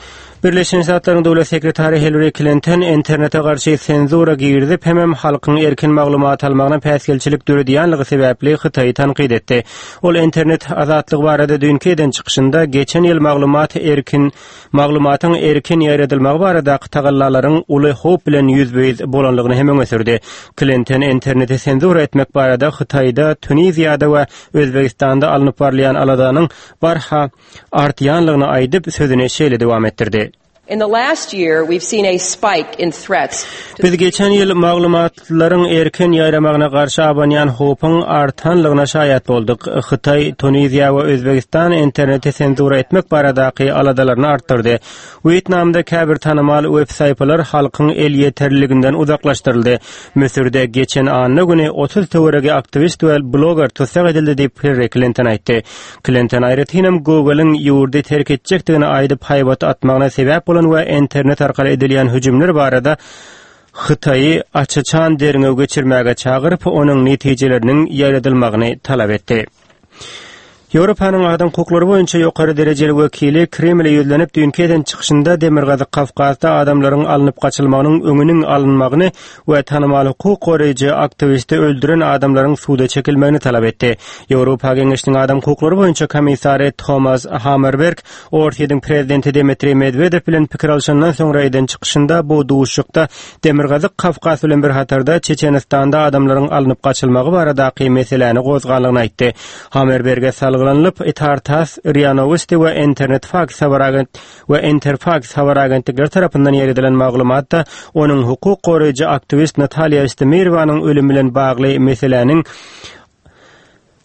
Birleşen Ştatlaryň Döwlet sekretary Hillari Klinton internete garşy senzura girizip hemem halkyň erkin maglumat almagyna päsgelçilik döredýänligi sebäpli Hytaýy tankyt etdi. Ol internet azatlygy barada düýnki eden çykyşynda geçen ýyl maglumat erkin maglumatyň erkin ýaýradylmagy baradaky tagallalaryň uly howp bilen ýüzbe-ýüz bolanlygyny hem öňe sürdi. Klinton interneti senzura etmek barada Hytaýda, Tuniziýada we Özbegistanda alnyp barylýan aladanyň barha artýanlygyny aýdyp, sözüni şeýle dowam etdirdi. In the last year, we've seen a spike in threats to Biz geçen ýyl maglumatlaryň erkin ýaýramagyna garşy abanýan howpuň artanlygyna şaýat bolduk. Hytaý, Tuniziýa we Özbegistan interneti senzura etmek baradaky aladalaryny artdyrdy. Wýetnamda käbir tanymal web saýpalar halkyň elýeterliliginden uzaklaşdyryldy. Müsürde geçen anna güni 30 töweregi aktiwist we bloger tussag edildi diýip, Hillari Klinton aýtdy. Klinton aýratynam Google-yň ýurdy terk etjekdigini aýdyp haýbat atmagyna sebäp bolan we internet arkaly edilýän hüjümler barada Hytaýy aç-açan derňew geçirmäge çagyryp, onuň netijeleriniň ýaýradylmagyny talap etdi. Ýewropanyň adam hukuklary boýunça ýokary derejeli wekili Kremle ýüzlenip düýnki eden çykyşynda Demirgazyk Kawkazda adamlaryň alnyp gaçylmagynyň öňüniň alynmagyny we tanymal hukuk goraýjy aktiwisti öldüren adamlaryň suda çekilmegini talap etdi. Ýewropa Geňeşiniň adam hukuklary boýunça komissary Tomas Hammerberg Orsýetiň prezidenti Dmitriý Medwedew bilen pikir alşandan soňra eden çykyşynda bu duşuşykda Demirgazyk Kawkaz bilen bir hatarda Çeçenistanda adamlaryň alnyp gaçylmagy baradaky meseläni gozganlygyny aýtdy. Hammerberge salgylanylyp, Itar-Tass, RIA Nowosti we Internetfaks habar agent we Interfaks habar agentlikleri tarapyndan ýeredilen maglumatda onuň hukuk goraýjy aktiwist Natalýa Estemirowanyň ölümi bilen bagly meseläniň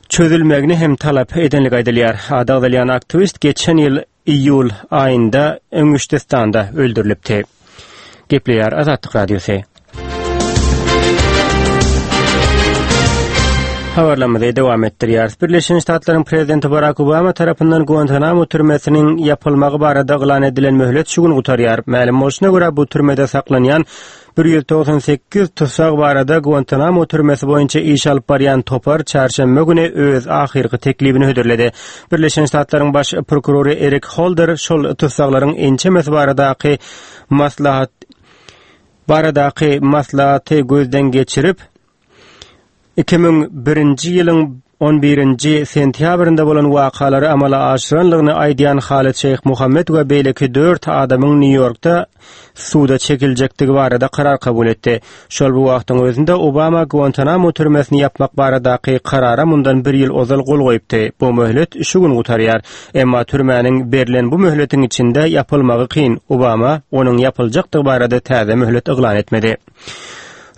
çözülmegini hem talap edenligi aýdylýar. Ady agzalýan aktiwist geçen ýyl iýul aýynda Inguştystanda öldürilipdi. Gepleýär Azatlyk Radiosy. Habarlarymyzy dowam etdirýäris. Birleşen Ştatlaryň prezidenti Barak Obama tarapyndan Guantanamo türmesiniň ýapylmagy barada yglan edilen möhlet şu gün gutarýar. Mälim bolşuna görä, bu türmede saklanýan 198 tussag barada Guantanamo türmesi boýunça iş alyp barýan topar çarşenbe güni öz ahyrky teklibini hödürledi. Birleşen Ştatlaryň baş prokurory Erik Holder şol tussaglaryň ençemesi baradaky maslahat baradaky maslahaty gözden geçirip, 2001-nji ýylyň on birinji sentýabrynda bolan wakalary amala aşyranlygyny aýdýan Halid Şeýh Muhammed we beýleki dört adamyň Nýu-Ýorkda suda çekiljekdigi barada karar kabul etdi. Şol bir wagtyň özünde Obama Guantanamo türmesini ýapmak baradaky karara mundan bir ýyl ozal gol goýupdy. Bu möhlet şu gün gutarýar. Emma türmäniň berlen bu möhletiň içinde ýapylmagy kyn. Obama onuň ýapyljakdygy barada täze möhlet yglan etmedi.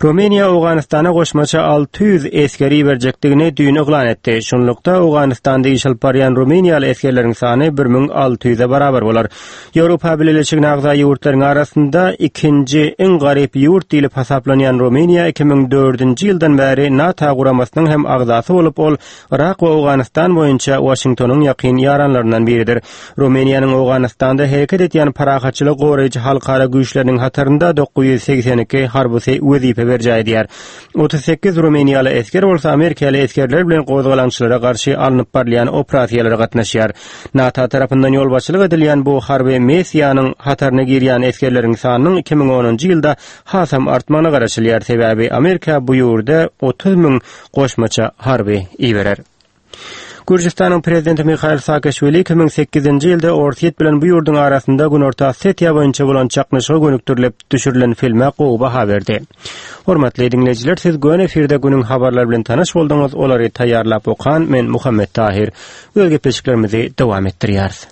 Rumyniýa Owganystana goşmaça 600 esger iberjekdigini düýn yglan etdi. Şunlukda, Owganystanda iş alyp barýan rumyniýaly esgerleriň sany 1600-e barabar bolar. Ýewropa Bileleşigine agza ýurtlaryň arasynda ikinji iň garyp ýurt diýlip hasaplanýan Rumyniýa 2004-nji ýyldan bäri NATO guramasynyň hem agzasy bolup, ol Yrak we Owganystan boýunça Waşingtonyň ýakyn ýaranlaryndan biridir. Rumyniýanyň Owganystanda hereket edýän parahatçylygy goraýjy halkara güýçleriniň hatarynda 982 harbysy wezipe berjaý edýär. 38 rumyniýaly esger bolsa amerikaly esgerler bilen gozgalaňçylara garşy alnyp barylýan operasiýalara gatnaşýar. NATO tarapyndan ýolbaşçylyk edilýän bu harby missiýanyň hataryna girýän esgerleriň sanynyň 2010-njy ýylda hasam artmagyna garaşylýar, sebäbi Amerika bu ýurda 30 müň goşmaça harby iberer. Gürjüstanyň prezidenti Mihail Saakaşwili 2008-nji ýylda Orsýet bilen bu ýurduň arasynda Günorta Osetiýa boýunça bolan çaknyşyga gönükdirilip düşürilen filme gowy baha berdi. Hormatly diňleýjiler, siz göni efirde günüň habarlary bilen tanyş bolduňyz, olary taýýarlap okan men Muhammet Tahyr. Öz gepleşiklerimizi dowam etdirýäris.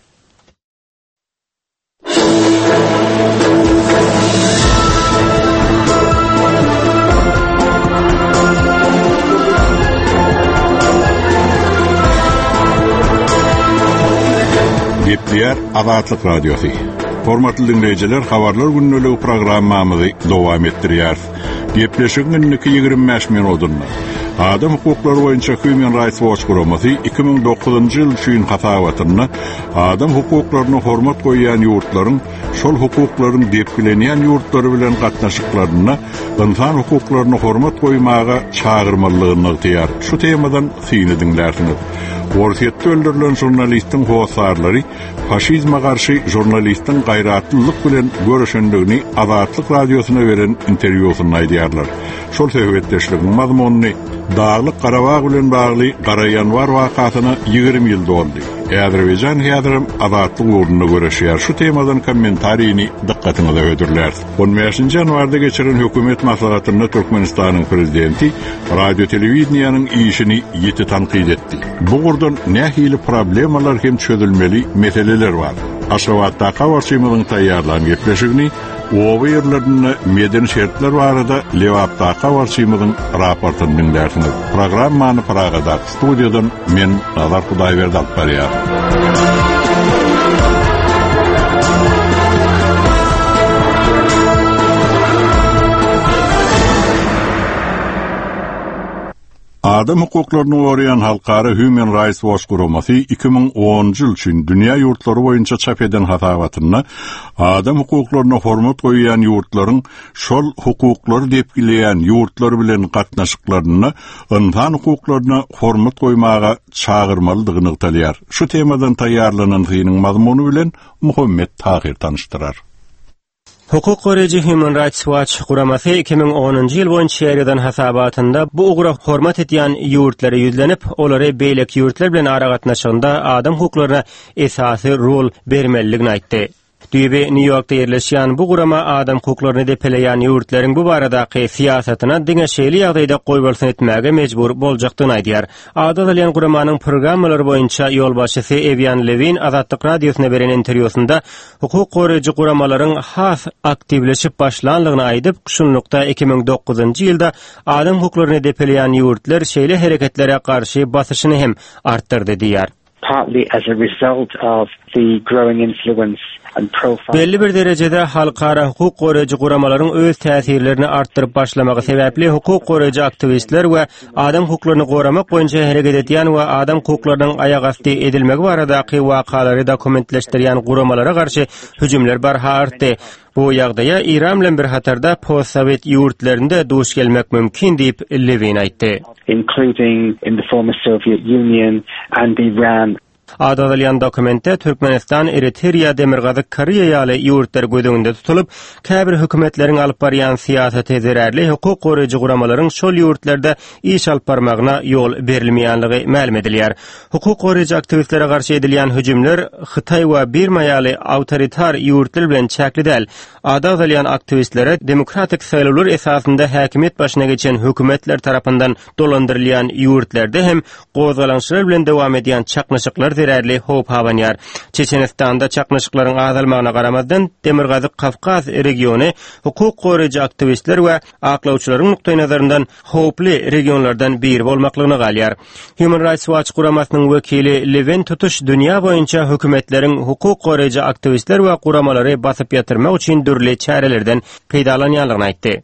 Gepleýär Azatlyk Radiosy. Hormatly diňleýjiler, Habarlar gündeligi programmamyzy dowam etdirýäris. Gepleşigiň indiki 25 minutynda Adam hukuklary boýunça Human Rights Watch guramasy 2009-njy ýyl üçin hasabatynda adam hukuklaryna hormat goýýan ýurtlaryň şol hukuklaryň depgilenýän ýurtlary bilen gatnaşyklarynda ynsan hukuklaryna hormat goýmaga çagyrmalydygyny nygtaýar. Şu temadan syny diňlärsiňiz. Orsýetde öldürilen žurnalistiň hossarlary faşizme garşy žurnalistiň gaýratlylyk bilen göreşendigini Azatlyk Radiosyna beren interwýusynda aýdýarlar. Şol söhbetdeşligiň mazmunyny Daglyk Garabag bilen bagly Gara ýanwar wakasyna 20 ýyl doldy. Azerbaýjan häzirem azatlyk ugrunda göreşýär. Şu temadan kommentarini dykgatyňyza hödürläris. On bäşinji ýanwarda geçiren hökümet maslahatynda Türkmenistanyň prezidenti radio-telewideniýäniň işini ýiti tankyt etdi. Bu ugurdan nähili problemalar hem çözülmeli meseleler bar? Aşgabatdaky habarçymyzyň taýýarlan gepleşigini oba ýerlerinde medeni şertler barada Lebapdaky habarçymyzyň raportyny diňlärsiňiz. Programmany Pragadaky studiýadan men Nazar Hudaýberdi alyp barýaryn. Adam hukuklaryny goraýan halkara Human Rights Watch guramasy 2010-njy ýyl üçin dünýä ýurtlary boýunça çap eden hasabatynda adam hukuklaryna hormat goýýan ýurtlaryň şol hukuklary depgileýän ýurtlar bilen gatnaşyklarynda ynsan hukuklaryna hormat goýmaga çagyrmalydygy nygtalýar. Şu temadan taýýarlanan synyň mazmuny bilen Muhammet Tahyr tanyşdyrar. Hukuk goraýjy Human Rights Watch guramasy 2010-njy ýyl boýunça ýaýradan hasabatynda bu ugra hormat edýän ýurtlara ýüzlenip, olary beýleki ýurtlar bilen aragatnaşygynda adam hukuklaryna esasy rol bermelidigini aýtdy. Düýbi Nýu-Ýorkda ýerleşýän bu gurama adam hukuklaryny depeleýän ýurtlaryň bu baradaky syýasatyna diňe şeýle ýagdaýda goýbolsun etmäge mejbur boljakdygyny aýdýar. Ady agzalýan guramanyň programmalar boýunça ýolbaşçysy Ewian Lewin Azatlyk Radiosyna beren interwýusynda hukuk goraýjy guramalaryň has aktiwleşip başlanlygyny aýdyp, şunlukda 2009-njy ýylda adam hukuklaryny depeleýän ýurtlar şeýle hereketlere garşy basyşyny hem artdyrdy diýýär. Partly as a result of the growing influence and profile. Belli bir derejede halkara hukuk goraýjy guramalaryň öz täsirlerini artdyryp başlamagy sebäpli hukuk goraýjy aktiwistler we adam hukuklaryny goramak boýunça hereket edýän we adam hukuklarynyň aýagasty edilmegi baradaky wakalary dokumentleşdirýän guramalara garşy hüjümler barha artdy. Bu ýagdaýa Eýran bilen bir hatarda postsowet ýurtlarynda duş gelmek mümkin diýip, Lewin aýtdy. Including in the former Soviet Union and Iran. Ady agzalýan dokumentde Türkmenistan, Eritriýa, Demirgazyk Koreýa ýaly ýurtlar göz öňünde tutulyp, käbir hökümetleriň alyp barýan syýasaty zerarly hukuk goraýjy guramalaryň şol ýurtlarda iş alyp barmagyna ýol berilmeýänligi mälim edilýär. Hukuk goraýjy aktiwistlere garşy edilýän hüjümler Hytaý we Birma ýaly awtoritar ýurtlar bilen çäkli däl. Ady agzalýan aktiwistlere demokratik saýlawlar esasynda häkimiýet başyna geçen hökümetler tarapyndan dolandyrylýan ýurtlarda hem gozgalaňçylar bilen dowam edýän çaknyşyklar zerarly howp abanýar. Çeçenistanda çaknyşyklaryň azalmagyna garamazdan, Demirgazyk Kawkaz regiony hukuk goraýjy aktiwistler we aklawçylaryň nukdaýnazaryndan howply regionlardan biri bolmaklygyna galýar. Human Rights Watch guramasynyň wekili Lewin tutuş dünýä boýunça hökümetleriň hukuk goraýjy aktiwistler we guramalary basyp ýatyrmak üçin dürli çärelerden peýdalanýanlygyny aýtdy.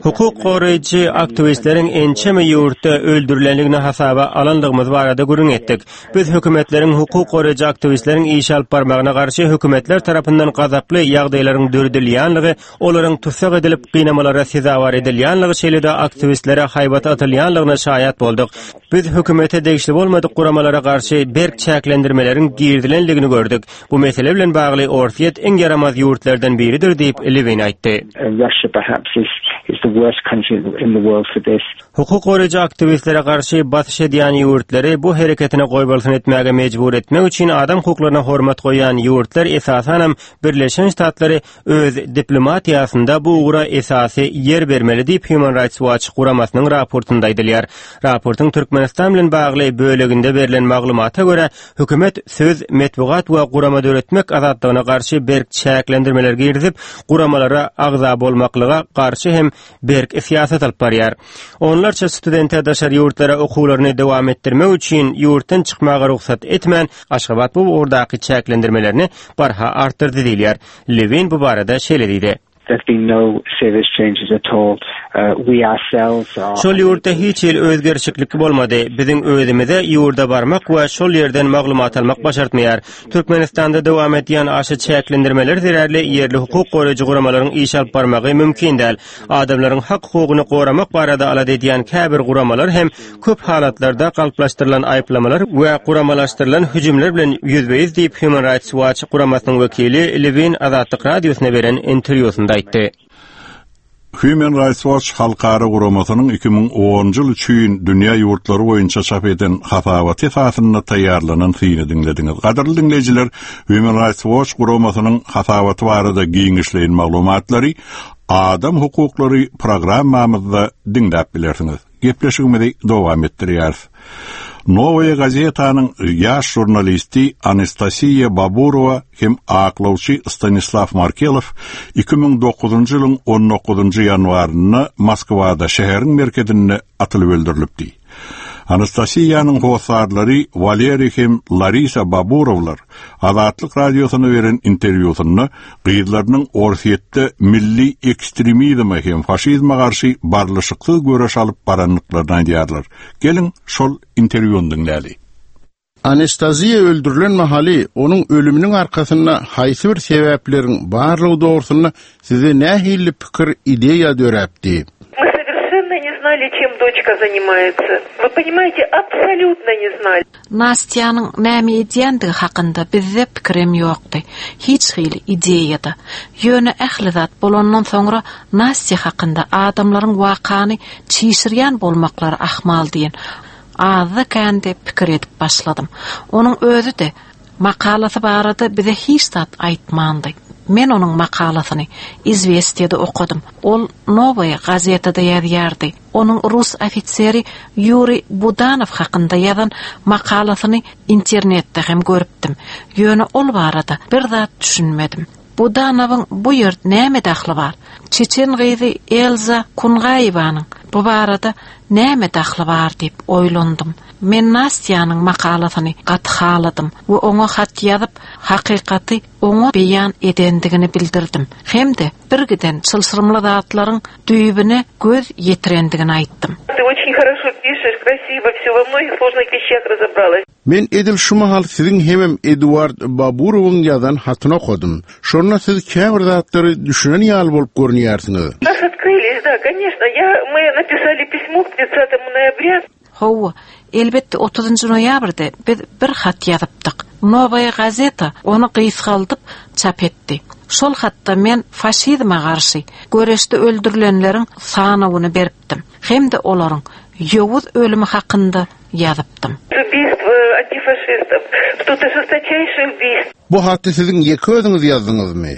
Hukuk goraýjy aktiwistleriň ençeme ýurtda öldürilendigini hasaba alandygymyz barada gürrüň etdik. Biz hökümetleriň hukuk goraýjy aktiwistleriň iş alyp barmagyna garşy hökümetler tarapyndan gazaply ýagdaýlaryň döredilýänligi, olaryň tussag edilip, gynamalara sezewar edilýänligi, şeýle-de aktiwistlere haýbat atylýanlygyna şaýat bolduk. Biz hökümete degişli bolmadyk guramalara garşy berk çäklendirmeleriň girizilendigini gördük. Bu mesele bilen bagly Orsýet iň ýaramaz ýurtlardan biridir diýip, Lewin aýtdy. Hukuk goraýjy aktiwistlere garşy basyş edýän ýurtlary bu hereketine goýbolsun etmäge mejbur etmek üçin adam hukuklaryna hormat goýýan ýurtlar, esasanam Birleşen Ştatlary öz diplomatiýasynda bu ugra esasy ýer bermeli diýip, Human Rights Watch guramasynyň raportynda aýdylýar. Raportyň Türkmenistan bilen bagly böleginde berlen maglumata görä, hökümet söz, metbugat we gurama döretmek azatlygyna garşy berk çäklendirmeler girizip, guramalara agza bolmaklyga garşy hem. berk syýasat alyp barýar. Onlarça studente daşary ýurtlara okuwlaryny dowam etdirmek üçin ýurtdan çykmaga rugsat etmän, Aşgabat bu ugurdaky çäklendirmelerini barha artdyrdy diýilýär. Lewin bu barada şeýle diýdi. There's been no serious changes at all. We ourselves are. Şol ýurtda hiç hili özgerişiklik bolmady. Biziň özümize ýurda barmak we şol ýerden maglumat almak başartmaýar. Türkmenistanda dowam edýän aşa çäklendirmeler zerarly ýerli hukuk goraýjy guramalaryň iş alyp barmagy mümkin däl. Adamlaryň hak-hukugyny goramak barada alada edýän käbir guramalar hem köp halatlarda galplaşdyrylan aýyplamalar we guramalaşdyrylan hüjümler bilen ýüzbe-ýüz diýip, Human Rights Watch guramasynyň wekili Lewin Azatlyk Radiosyna beren interwýusynda aýtdy. Human Rights Watch halkara guramasynyň 2010-njy ýyl üçin dünýä ýurtlary boýunça çap eden hasabaty esasynda taýýarlanan syny diňlediňiz. Gadyrly diňleýjiler, Human Rights Watch guramasynyň hasabaty barada giňişleýin maglumatlary Adam hukuklary programmamyzda diňläp bilersiňiz. Gepleşigimizi dowam etdirýäris. Nowaýa gazetanyň ýaş žurnalisti Anastasiýa Baburowa hem aklawçy Stanislaw Markelow 2009-njy ýylyň on dokuzynjy ýanwarynda Moskwada, şäheriň merkezinde atylyp öldürilipdi. Anastasiýanyň hossarlary Waleriý hem Larisa Baburowlar Azatlyk Radiosyna beren interwýusynda gyzlarynyň Orsýetde milli ekstremizme hem faşizme garşy barlyşyksyz göreş alyp barandyklaryny aýdýarlar. Geliň, şol interwýuny diňläli. Anastaziýa öldürilen mahaly onuň ölüminiň arkasynda haýsy bir sebäpleriň barlygy dogrusynda sizde nähili pikir, ideýa döräpdi? Мы совершенно не знали, чем дочка занимается. Вы понимаете, абсолютно не знали. Nastýanyň näme edýändigi hakynda bizde pikirem ýokdy, hiç hili ideýa-da. Ýöne ähli zat bolandan soňra Nastýa hakynda adamlaryň wakany çişirýän bolmaklary ahmal diýen azda-kände pikir edip başladym. Onuň özi-de makalasy barada bize hiç zat aýtmandy. Men onuň makalasyny Izwestiýada okadym. Ol Nowaýa gazetada ýazýardy. Onuň rus ofiseri Ýuriý Budanow hakynda ýazan makalasyny internetde hem görüpdim. Ýöne ol barada bir zat düşünmedim. Budanowyň bu ýerde näme dahly bar? Çeçen gyzy Elza Kungaýewanyň bu barada näme dahly bar diýip oýlandym. Men Nastýanyň makalasyny gaty haladym we oňa hat ýazyp, hakykaty oňa beýan edendigini bildirdim hem-de birgiden çylşyrymly zatlaryň düýbüne göz ýetirendigini aýtdym. Ty oçin horoşo pişeş, krasiwo wsё, wo mnogih složnyh weşşah razobralas. Men edil şu mahal siziň hemem Eduard Baburowyň ýazan hatyny okadym. Şonda siz käbir zatlary düşünen ýaly bolup görünýärsiňiz. Нас открылись, да, конечно. Я, мы написали письмо к тридцатому ноября. Hawa, elbetde otuzynjy noýabrda biz bir hat ýazypdyk. Nowaýa gazeta ony gysgaldyp çap etdi. Şol hatda men faşizme garşy göreşde öldürilenleriň sanawyny beripdim hem-de olaryň ýowuz ölümi hakynda ýazypdym. Ubiýstw antifaşistow, tut žestoçaýşiý ubiýstw. Bu haty siziň ýeke özüňiz ýazdyňyzmy?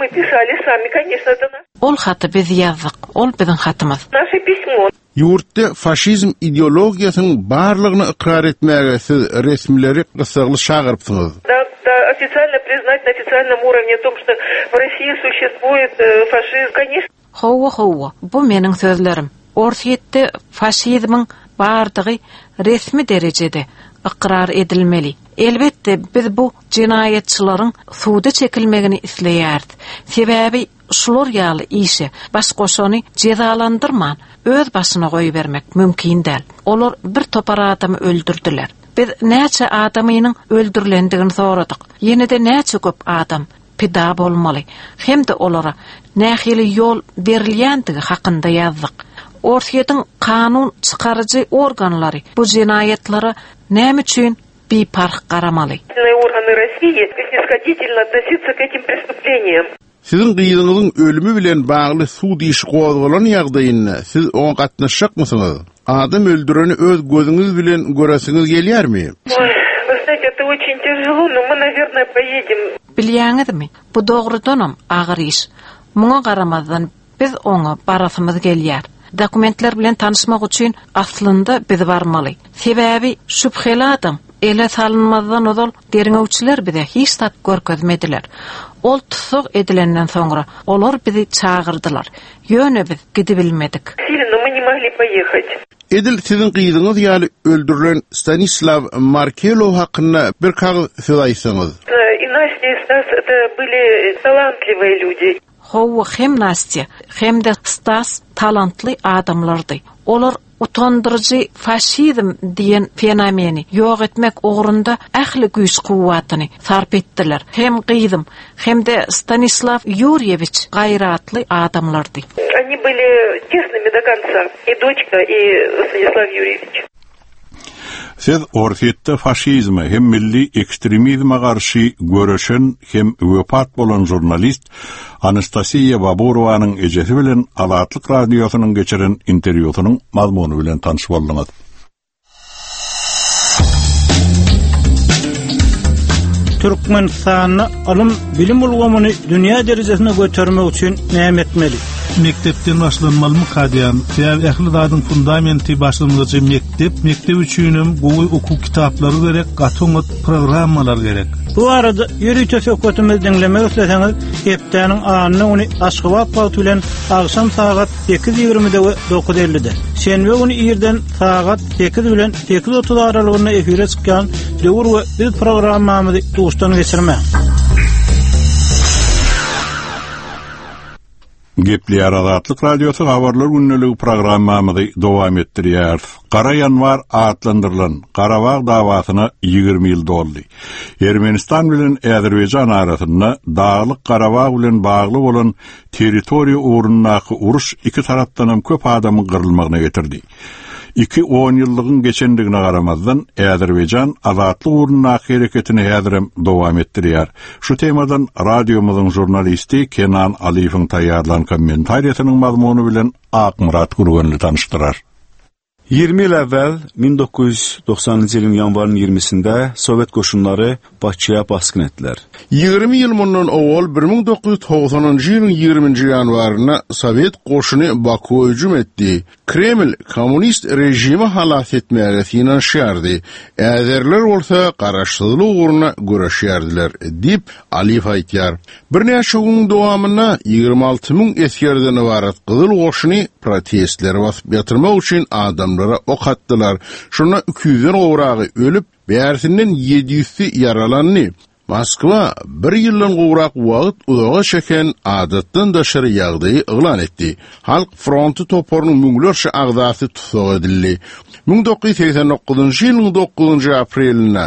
My pisali sami, koneçno, eto naş. Ol haty biz ýazdyk, ol biziň hatymyz. Naşe pismo. Ýurtda faşizm ideologiýasynyň barlygyny ykrar etmäge siz resmileri gyssagly çagyrypsyňyz. Da, da, ofitsialno priznat na ofitsialnom urovne o tom, çto w Rossii suşestvuet faşizm, koneçno. Hawa, hawa, bu meniň sözlerim. Orsýetde faşizmiň bardygy resmi derejede ykrar edilmeli. Elbetde, biz bu jenaýatçylaryň suda çekilmegini isleýäris. Sebäbi şular ýaly işe baş goşany jezalandyrman, öz başyna goýbermek mümkin däl. Olar bir topar adamy öldürdiler. Biz näçe adamynyň öldürilendigini soradyk. Ýene-de näçe köp adam pida bolmaly hem-de olara nähili ýol berilýändigi hakynda ýazdyk. Orsýetiň kanun çykaryjy organlary bu jenaýatlara näme üçin biparh garamaly? Organy Rossiýi snishoditelno otnositsa k etim prestupleniyam. Siziň gyzyňyzyň ölümi bilen bagly sud işi gozgalan ýagdaýynda siz oňa gatnaşjakmysyňyz? Adam öldüreni öz gözüňiz bilen göresiňiz gelýärmi? Oý, вы знаете, это очень тяжело, но мы, наверное, поедем. Bilýäňizmi, bu dogrudanam agyr iş. Muňa garamazdan, biz oňa barasymyz gelýär. Dokumentler bilen tanyşmak üçin aslynda biz barmaly. Sebäbi şübheli adam. Ele salynmazdan ozal derňewçiler bize hiç zat görkezmediler. Ol tussag edilenden soňra olar bizi çagyrdylar. Ýöne biz gidibilmedik. Но мы не могли поехать. Edil siziň gyzyňyz ýaly öldürilen Stanislaw Markelow hakynda bir kagyz söz aýtsaňyz. И Настя, и Стас это были талантливые люди. Hawa, hem Nastýa, hem-de Stas talantly adamlardy. Olar utandyryjy faşizm diýen fenomeni ýok etmek ugrunda ähli güýç-kuwwatyny sarp etdiler. Hem gyzym, hem-de Stanislaw Ýurýewiç gaýratly adamlardy. Oni byli çestnymi do konca, i doçka, i Stanislaw Ýurýewiç. Siz Orsýetde faşizme hem milli ekstremizme garşy göreşen hem wepat bolan žurnalist Anastasiýa Baburowanyň ejesi bilen Azatlyk Radiosynyň geçiren interwýusynyň mazmuny bilen tanyş bolduňyz. Türkmenistanda ylym, bilim ulgamyny dünýä derejesine götermek üçin näme etmeli? Mekdepden başlanmalymyka diýýän. Sebäbi ähli zadyň fundamenti, başlangyjy mekdep. Mekdep üçinem gowy okuw kitaplary gerek, gaty oňat programmalar gerek. Bu barada ýörite söhbetimizi diňlemek isleseňiz, hepdäniň anna güni Aşgabat wagty bilen agşam sagat 8:20-de we 9:50-de, şenbe güni irden sagat 8 bilen 8:30 aralygynda efire çykýan Döwür we biz programmamyzy duşdan geçirmäň. Gepleýär Azatlyk Radiosy Habarlar gündeligi programmamyzy dowam etdirýäris. Gara ýanwar atlandyrylan Garabag dawasyna 20 ýyl doldy. Ermenistan bilen Azerbaýjan arasynda Daglyk Garabag bilen bagly bolan territoriýa ugrundaky uruş iki tarapdanam köp adamyň gyrylmagyna getirdi. Iki onýyllygyň geçendigine garamazdan, Azerbaýjan azatlyk ugrundaky hereketini häzirem dowam etdirýär. Şu temadan radiomyzyň žurnalisti Kenan Alyýewiň taýýarlan kommentariýasynyň mazmuny bilen Akmyrat Gürgenli tanyşdyrar. 20 il əvvəl 1990-cı ilin yanvarın 20-sində Sovet qoşunları Bakıya basqın etdilər. 20 ýyl mundan owal 1990-njy ýylyň 20-nji ýanwarynda Sowet goşuny Bakuwa hüjüm etdi. Kreml kommunist režimi halas etmäge synanyşýardy, äzeriler bolsa garaşsyzlyk ugrunda göreşýärdiler, diýip, Aliýew aýdýar. Birnäçe günüň dowamynda 26 müň esgerden ybarat Gyzyl goşuny protestleri basyp ýatyrmak üçin adamlara ok atdylar. Şonda iki ýüzden gowragy ölüp, bärsinden ýedi ýüzsi ýaralandy. Moskwa bir ýyldan gowrak wagt uzaga çeken adatdan daşary ýagdaýy yglan etdi. Halk fronty toparynyň müňlerçe agzasy tussag edildi. 1989-njy ýylyň dokuzynjy aprelinde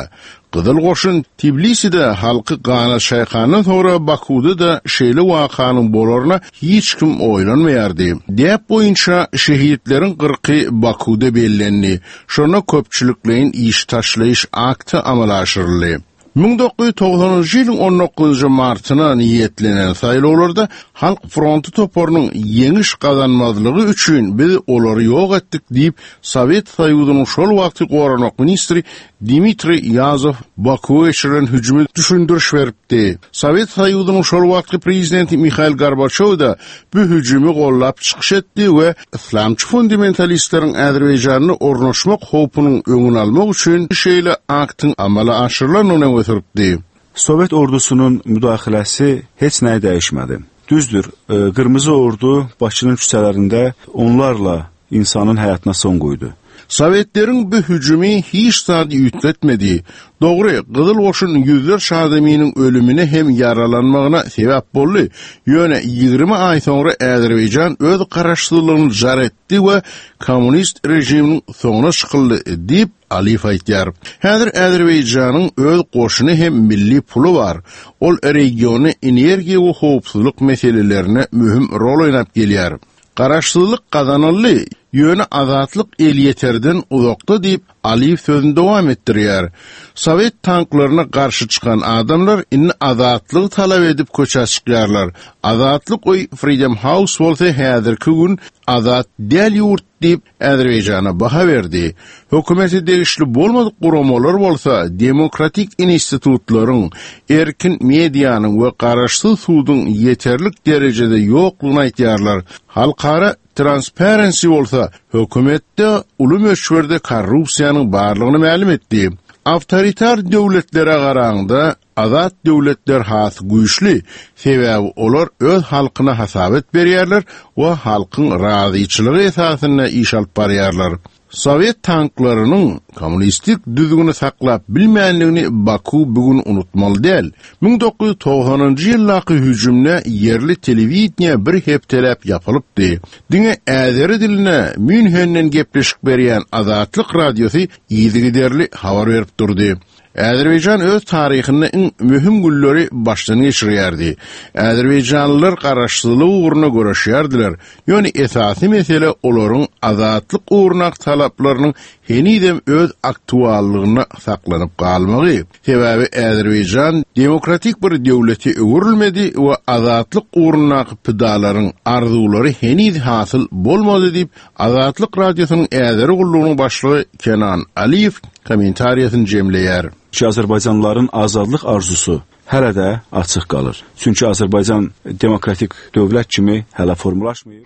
Gyzyl goşun Tbiliside halky gana çaýkandan soňra Bakuwda-da şeýle wakanyň bolaryna hiç kim oýlanmaýardy. Däp boýunça şehitleriň gyrky Bakuwda bellendi. Şonda köpçülikleýin iş taşlaýyş akty amala aşyryldy. 1990-njy ýylyň on dokuzynjy martyna niýetlenen saýlawlarda Halk fronty toparynyň ýeňiş gazanmazlygy üçin biz olary ýok etdik diýip, Sowet Soýuzynyň şol wagtky goranmak ministri Dmitriý Ýazow Bakuwa geçirilen hüjüme düşündiriş beripdi. Sowet Soýuzynyň şol wagtky prezidenti Mihail Gorbaçýow-da bu hüjümi gollap çykyş etdi we yslamçy fundamentalistleriň Azerbaýjanda ornaşmak howpunyň öňüni almak üçin şeýle aktyň amala aşyrylandygyny öňe sürüpdi. Sowet ordusunun müdaxiləsi heç nəyi dəyişmədi. Düzdür, Qırmızı Ordu Bakının küçələrində onlarla insanın həyatına son qoydu. Sowetleriň bu hüjümi hiç zady üýtgetmedi. Dogry, Gyzyl goşun ýüzlerçe adamynyň ölümine hem ýaralanmagyna sebäp boldy, ýöne 20 aý soňra Azerbaýjan öz garaşsyzlygyny jar etdi we kommunist režiminiň soňuna çykyldy diýip, Aliýew aýdýar. Häzir Azerbaýjanyň öz goşuny hem milli puly bar. Ol regionda energiýa we howpsuzlyk meselelerinde möhüm rol oýnap gelýär. Garaşsyzlyk gazanyldy, ýöne azatlyk elýeterden uzakda diýip, Aliýew sözüni dowam etdirýär. Sowet tanklaryna garşy çykan adamlar indi azatlygy talap edip köçä çykýarlar. Azatlyk öýi Freedom House bolsa häzirki gün azat däl ýurt diýip, Azerbaýjana baha berdi. Hökümete degişli bolmadyk guramalar bolsa demokratik institutlaryň, erkin medianyň we garaşsyz suduň ýeterlik derejede ýoklugyny aýdýarlar. Halkara Transparency bolsa hökümetde uly möçberde korrupsiýanyň barlygyny mälim etdi. Awtoritar döwletlere garaňda, azat döwletler has güýçli, sebäbi olar öz halkyna hasabat berýärler we halkyň razyçylygy esasynda iş alyp barýarlar. Sowet tanklarynyň kommunistik düzgüni saklap bilmändigini Baku bu gün unutmaly däl. 1990-njy ýyldaky hüjümde ýerli telewideniýe bir hepdeläp ýapylypdy. Diňe äzeri dilinde Münhenden gepleşik berýän Azatlyk Radiosy yzygiderli habar berip durdy. Azerbaýjan öz taryhynda iň möhüm günleri başdan geçirýärdi. Azerbaýjanlylar garaşsyzlyk ugrunda göreşýärdiler, ýöne esasy mesele olaryň azatlyk ugrundaky talaplarynyň henizem öz aktuallygynda saklanyp galmagy. Sebäbi Azerbaýjan demokratik bir döwlete öwrülmedi we azatlyk ugrundaky pidalaryň arzuwlary heniz hasyl bolmady diýip, Azatlyk Radiosynyň Äzeri gullugynyň başlygy Kenan Aliýew kommentariýasyny jemleýär. Ki azərbaycanlıların azadlıq arzusu hələ də açıq qalır. Çünki Azərbaycan demokratik dövlət kimi hələ formalaşmayıb.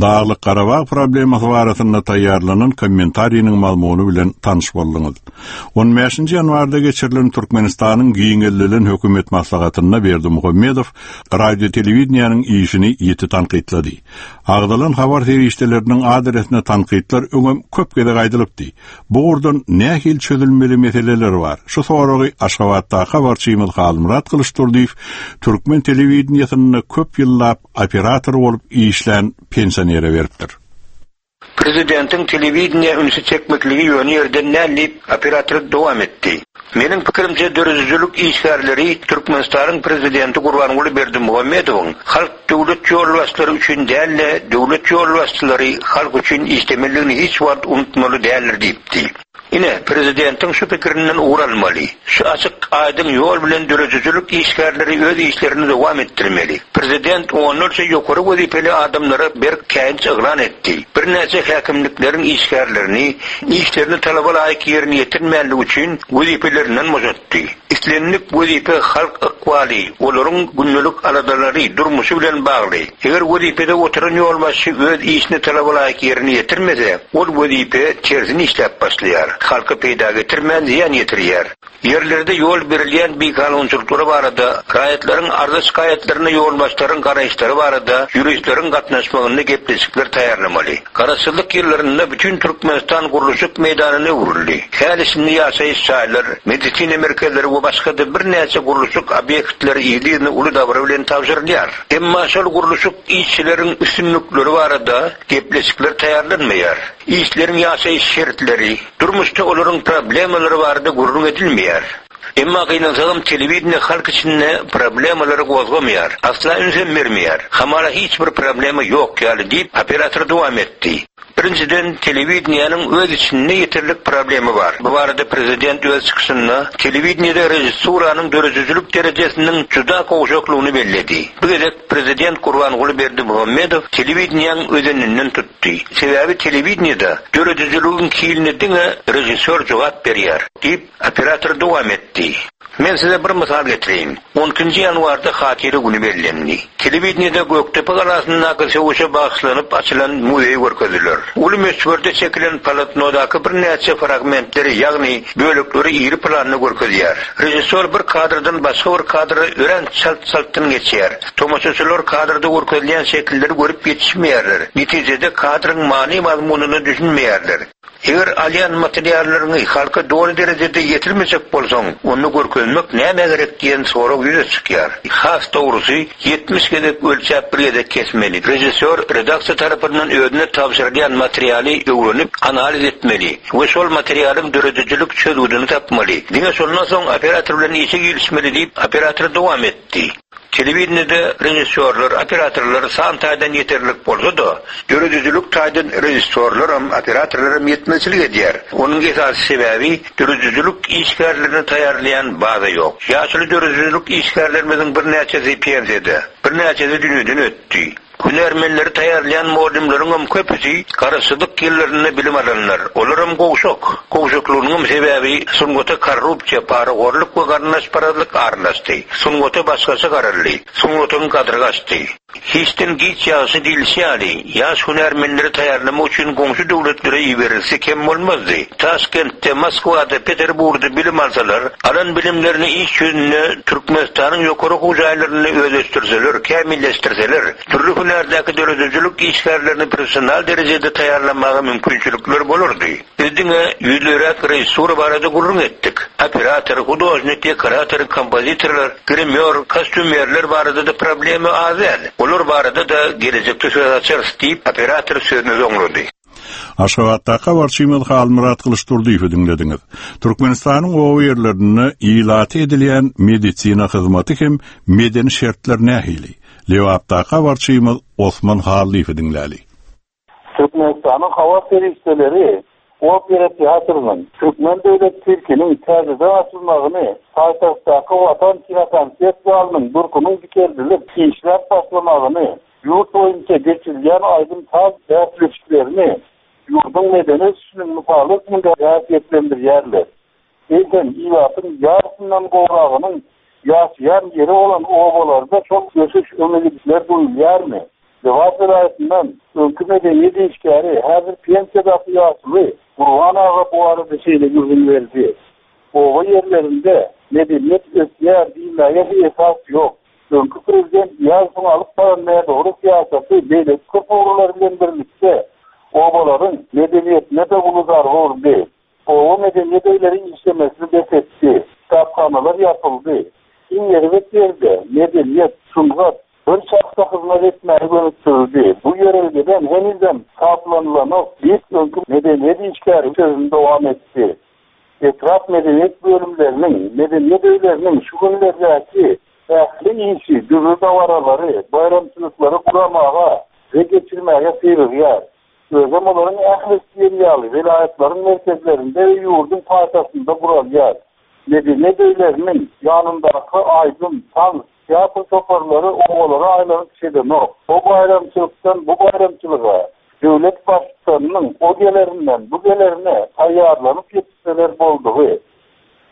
Daglyk-Garabag problemasy barasynda taýýarlanan kommentariniň mazmuny bilen tanyş bolduňyz. On bäşinji ýanwarda geçirilen Türkmenistanyň giňeldilen hökümet maslahatynda Berdimuhamedow radio-telewideniýäniň işini ýiti tankytlady. Agzalan habar serişdeleriniň adresine tankytlar öňem köp gezek aýdylypdy. Bu ugurdan nähili çözülmeli meseleler bar? Şu soragy Aşgabatdaky habarçymyz Halmyrat Gylyçdurdyýew türkmen telewideniýesinde köp ýyllap operator bolup işlän pensionere beripdir. Prezidentiň telewideniýä ünsi çekmekligi ýöne ýerden däl diýip, operator dowam etdi. Meniň pikirimçe, döredijilik işgärleri Türkmenistanyň Prezidenti Gurbanguly Berdimuhamedowyň halk döwlet ýolbaşçylary üçin däl-de, döwlet ýolbaşçylary halk üçin işlemelidigini hiç wagt unutmaly däldir diýipdi. Ine, prezidentiň şu pikirinden ugur almaly. Şu açyk, aýdyň ýol bilen döredijilik işgärleri öz işlerini dowam etdirmeli. Prezident onlarça ýokary wezipeli adamlara berk käýinç yglan etdi. Birnäçe häkimlikleriň işgärlerini işlerini talaba laýyk ýerine ýetirmänligi üçin wezipelerinden boşatdy. Islendik wezipe halk ykbaly, olaryň gündelik aladalary, durmuşy bilen bagly. Eger wezipede oturan ýolbaşçy öz işini talaba laýyk ýerine ýetirmese, ol wezipe tersine işläp başlaýar, halka peýda getirmän zyýan ýetirýär. Ýerlerde ýol berilýän bikanunçylyklar barada, raýatlaryň arza-şikaýatlaryna ýolbaşçylaryň garaýyşlary barada ýuristleriň gatnaşmagynda gepleşikler taýýarlamaly. Garaşsyzlyk ýyllarynda bütin Türkmenistan gurluşyk meýdanyna öwrüldi. Häli-şindi ýaşaýyş jaýlar, medisina merkezleri we başga-da birnäçe gurluşyk obýektleri yzly-yzyna uly dabara bilen tabşyrylýar. Emma şol gurluşyk işçileriň üstünlikleri barada gepleşikler taýýarlanmaýar. Işçileriň ýaşaýyş şertleri, durmuşda olaryň problemalary barada gürrüň edilmeýär. Emma gynansagam telewideniýe halk içinde problemalary gozgamaýar, asla ünsem bermeýär. Hamala hiç bir problema ýok ýaly diýip, operator dowam etdi. Birinjiden, telewideniýäniň öz içinde ýeterlik problema bar. Bu barada prezident öz çykyşynda telewideniýede režissuranyň döredijilik derejesiniň juda gowşaklygyny belledi. Bu gezek prezident Gurbanguly Berdimuhamedow telewideniýäň özeninden tutdy. Sebäbi telewideniýede döredijiligiň hiline diňe režissýor jogap berýär diýip, Operator dowam etdi. Men size bir mysal getireýin. On ikinji ýanwarda Hatyra güni bellendi. Telewideniýede Gökdepe galasyndaky söweşe bagyşlanyp açylan muzeýi görkezdiler. Uly möçberde çekilen polotnodaky birnäçe fragmentleri, ýagny bölekleri iri planda görkezýär. Režissýor bir kadrdan başga bir kadra örän çalt-çaltdan geçýär. Tomaşaçylar kadrda görkezilýän şekilleri görüp ýetişmeýärler. Netijede kadryň many-mazmunyna düşünmeýärler. Eger alýan materiallaryňy halka doly derejede ýetirmejek bolsaň, onda görkezmek nämä gerek diýen sorag ýüze çykýar. Has dogrusy, 70 gezek ölçäp bir gezek kesmeli. Režissýor redaksiýa tarapyndan özüne tabşyrylýan materialy öwrenip, analiz etmeli we şol materialyň döredijilik çözgüdini tapmaly. Diňe şondan soň operator bilen işe girişmeli diýip, operator dowam etdi. Telewideniýede režissýorlar, operatorlar san taýdan ýeterlik bolsa-da, döredijilik taýdan režissýorlaram, operatorlaram ýetmezçilik edýär. Onuň esasy sebäbi, döredijilik işgärlerini taýýarlaýan baza ýok. Ýaşuly döredijilik işgärlerimiziň birnäçesi pensiýada, birnäçesi dünýeden ötdi. Hünärmenleri taýýarlaýan mugallymlaryňam köpüsi garaşsyzlyk ýyllarynda bilim alanlar. Olaram gowşak. Gowşaklygynyňam sebäbi sungata korrupsiýa, parahorluk we garyndaşparazlyk aralaşdy. Sungata başgaça garaldy. Sungatyň gadyry gaçdy. Hiçden giç ýagşy diýlişi ýaly, ýaş hünärmenleri taýýarlamak üçin goňşy döwletlere iberilse kem bolmazdy. Taşkentde, Moskwada, Peterburgda bilim alsalar, alan bilimlerini iş ýüzünde Türkmenistanyň ýokary okuw jaýlarynda özleşdirseler, kämilleşdirseler, dürli hünärdäki döredijilik işgärlerini professional derejede taýýarlamaga mümkinçilikler bolardy. Biz diňe ýüzleräk režissura barada gürrüň etdik. Operator, hudožnik, dekorator, kompozitorlar, grimýor, kostýumerler barada-da problema az däl. Olar barada-da gelejekde söz açarys, diýip, operator sözüni soňlady. Aşgabatdaky habarçymyz Halmyrat Gylyçdurdyýewi diňlediňiz. Türkmenistanyň oba ýerlerinde ilata edilýän medisina hyzmaty hem medeni şertler nähili? Lebapdaky habarçymyz Osman Hallyýewi diňläli. Türkmenistanyň habar serişdeleri Opera teatrynyň, Türkmen döwlet sirkiniň täzeden açylmagyny, paýtagtdaky Watan kinokonsert zalynyň durkunyň dikeldilip, işläp başlamagyny, ýurt boýunça geçirilýän aýdym-saz bäsleşiklerini ýurduň medeni ösüşiniň mysaly hökmünde häsiýetlendirýärler. Eýsem, ilatyň ýarysyndan gowragynyň ýaşaýan ýeri bolan obalarda şol ösüş, öňegidişler duýulýarmy? Lebap welaýatyndan öňki medeniýet işgäri, häzir pensiýadaky ýaşuly Gurban aga bu barada şeýle gürrüň berdi, Oba ýerlerinde medeniýet ösýär diýmäge esas ýok. Öňki prezident Nyýazowyň alyp baran nädogry syýasaty beýleki köp ugurlar bilen birlikde obalaryň medeniýetine-de uly zarba urdy. Oba medeniýet öýleri işlemesini bes etdi, kitaphanalar ýapyldy. Iň erbet ýeri-de, medeniýet, sungat bir şahsa hyzmat etmäge gönükdirildi. Bu ýörelgeden henizem saplanylanok diýip, öňki medeniýet işgäri sözüni dowam etdi. Etrap medeniýet bölümleriniň, medeniýet öýleriniň şu günlerdäki ähli işi dürli dabaralary, baýramçylyklary guramaga we geçirmäge syrygýar. Özem olaryň ählisi diýen ýaly welaýatlaryň merkezlerinde we ýurduň paýtagtynda guralýar. Medeniýet öýleriniň ýanyndaky aýdym, tans, teatr toparlary obalara aýlanyp çedenok. O baýramçylykdan bu baýramçylyga, döwlet Baştutanynyň o gelerinden bu gelerine taýýarlanyp ýetişseler boldugy.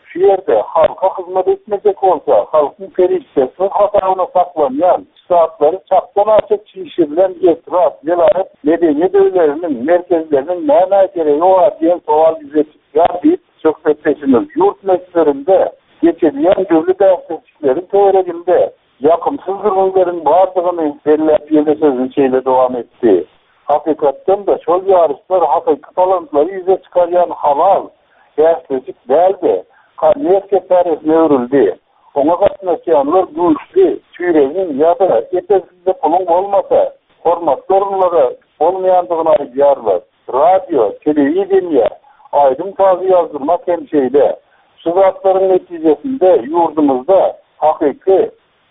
Şu ýerde halka hyzmat etmejek bolsa, halkyň serişdesiniň hasabyna saklanýan, ştatlary çakdan-aşa çişirilen etrap, welaýat medeniýet öýleriniň, merkezleriniň nämä geregi bar diýen sowal ýüze çykýar diýip, söhbetdeşimiz ýurt möçberinde geçirilýän dürli bäsleşikleriň töwereginde Ýakymsyz gürrüňleriň bardygyny belläp ýene sözüni şeýle dowam etdi, Hakykatdan-da, şol ýaryşlar hakyky talantlary ýüze çykarýan halal bäsleşik däl-de, kommersiýa çäresine öwrüldi. Oňa gatnaşýanlar güýçli çüýregiň ýa-da ep-esli puluň bolmasa, hormatly orunlara bolmaýandygyny aýdýarlar. Radio, telewideniýe, aýdym-sazy ýazdyrmak hem şeýle. Şu zatlaryň netijesinde ýurdumyzda hakyky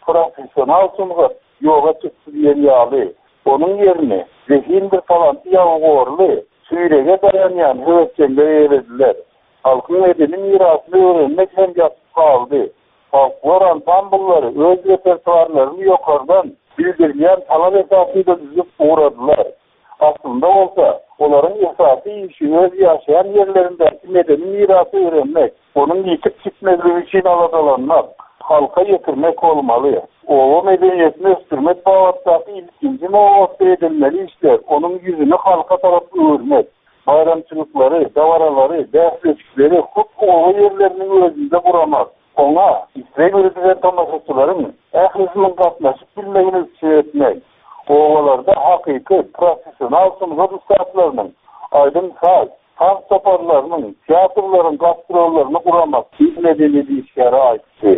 professional sungat ýoga çykdy diýen ýaly. Onuň ýerini zehindir talanty ýabygorly, çüýrege daýanýan höwesjeňler eýelediler. Halkyň medeni mirasyny öwrenmek hem ýatyp galdy. Folklor ansambllary öz repertuarlaryny ýokardan bildirilýän talap esasynda düzüp ugradylar. Aslynda bolsa, olaryň esasy işi öz ýaşaýan ýerlerindäki medeni mirasy öwrenmek, onuň ýitip gitmezligi üçin aladalanmak, halka ýetirmek bolmaly. Oba medeniýetini ösdürmek babatdaky ilkinji nobatda edilmeli işler onuň ýüzüni halka tarap öwürmek, baýramçylyklary, dabaralary, bäsleşikleri hut oba ýerleriniň özünde guramak, oňa isleg bildiren tomaşaçylaryň ählisiniň gatnaşyp bilmegini üpjün etmek, obalarda hakyky professional sungat ussatlarynyň, aýdym-saz, tans toparlarynyň, teatrlaryň gastrollaryny guramak, diýip, medeniýet işgäri aýtdy.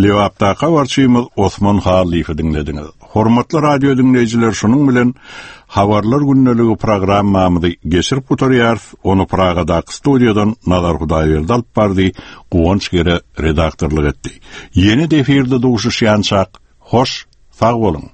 Lebapdaky habarçymyz Osman Hallyýewi diňlediňiz. Hormatly radio diňleýjiler şunuň bilen Habarlar gündeligi programmamyzy geçirip gutarýarys. Ony Pragadaky studiýadan Nazar Hudaýberdi alyp bardy, Guwanç Gere redaktorlyk etdi. Ýene-de efirde duşuşýançak, hoş, sag boluň!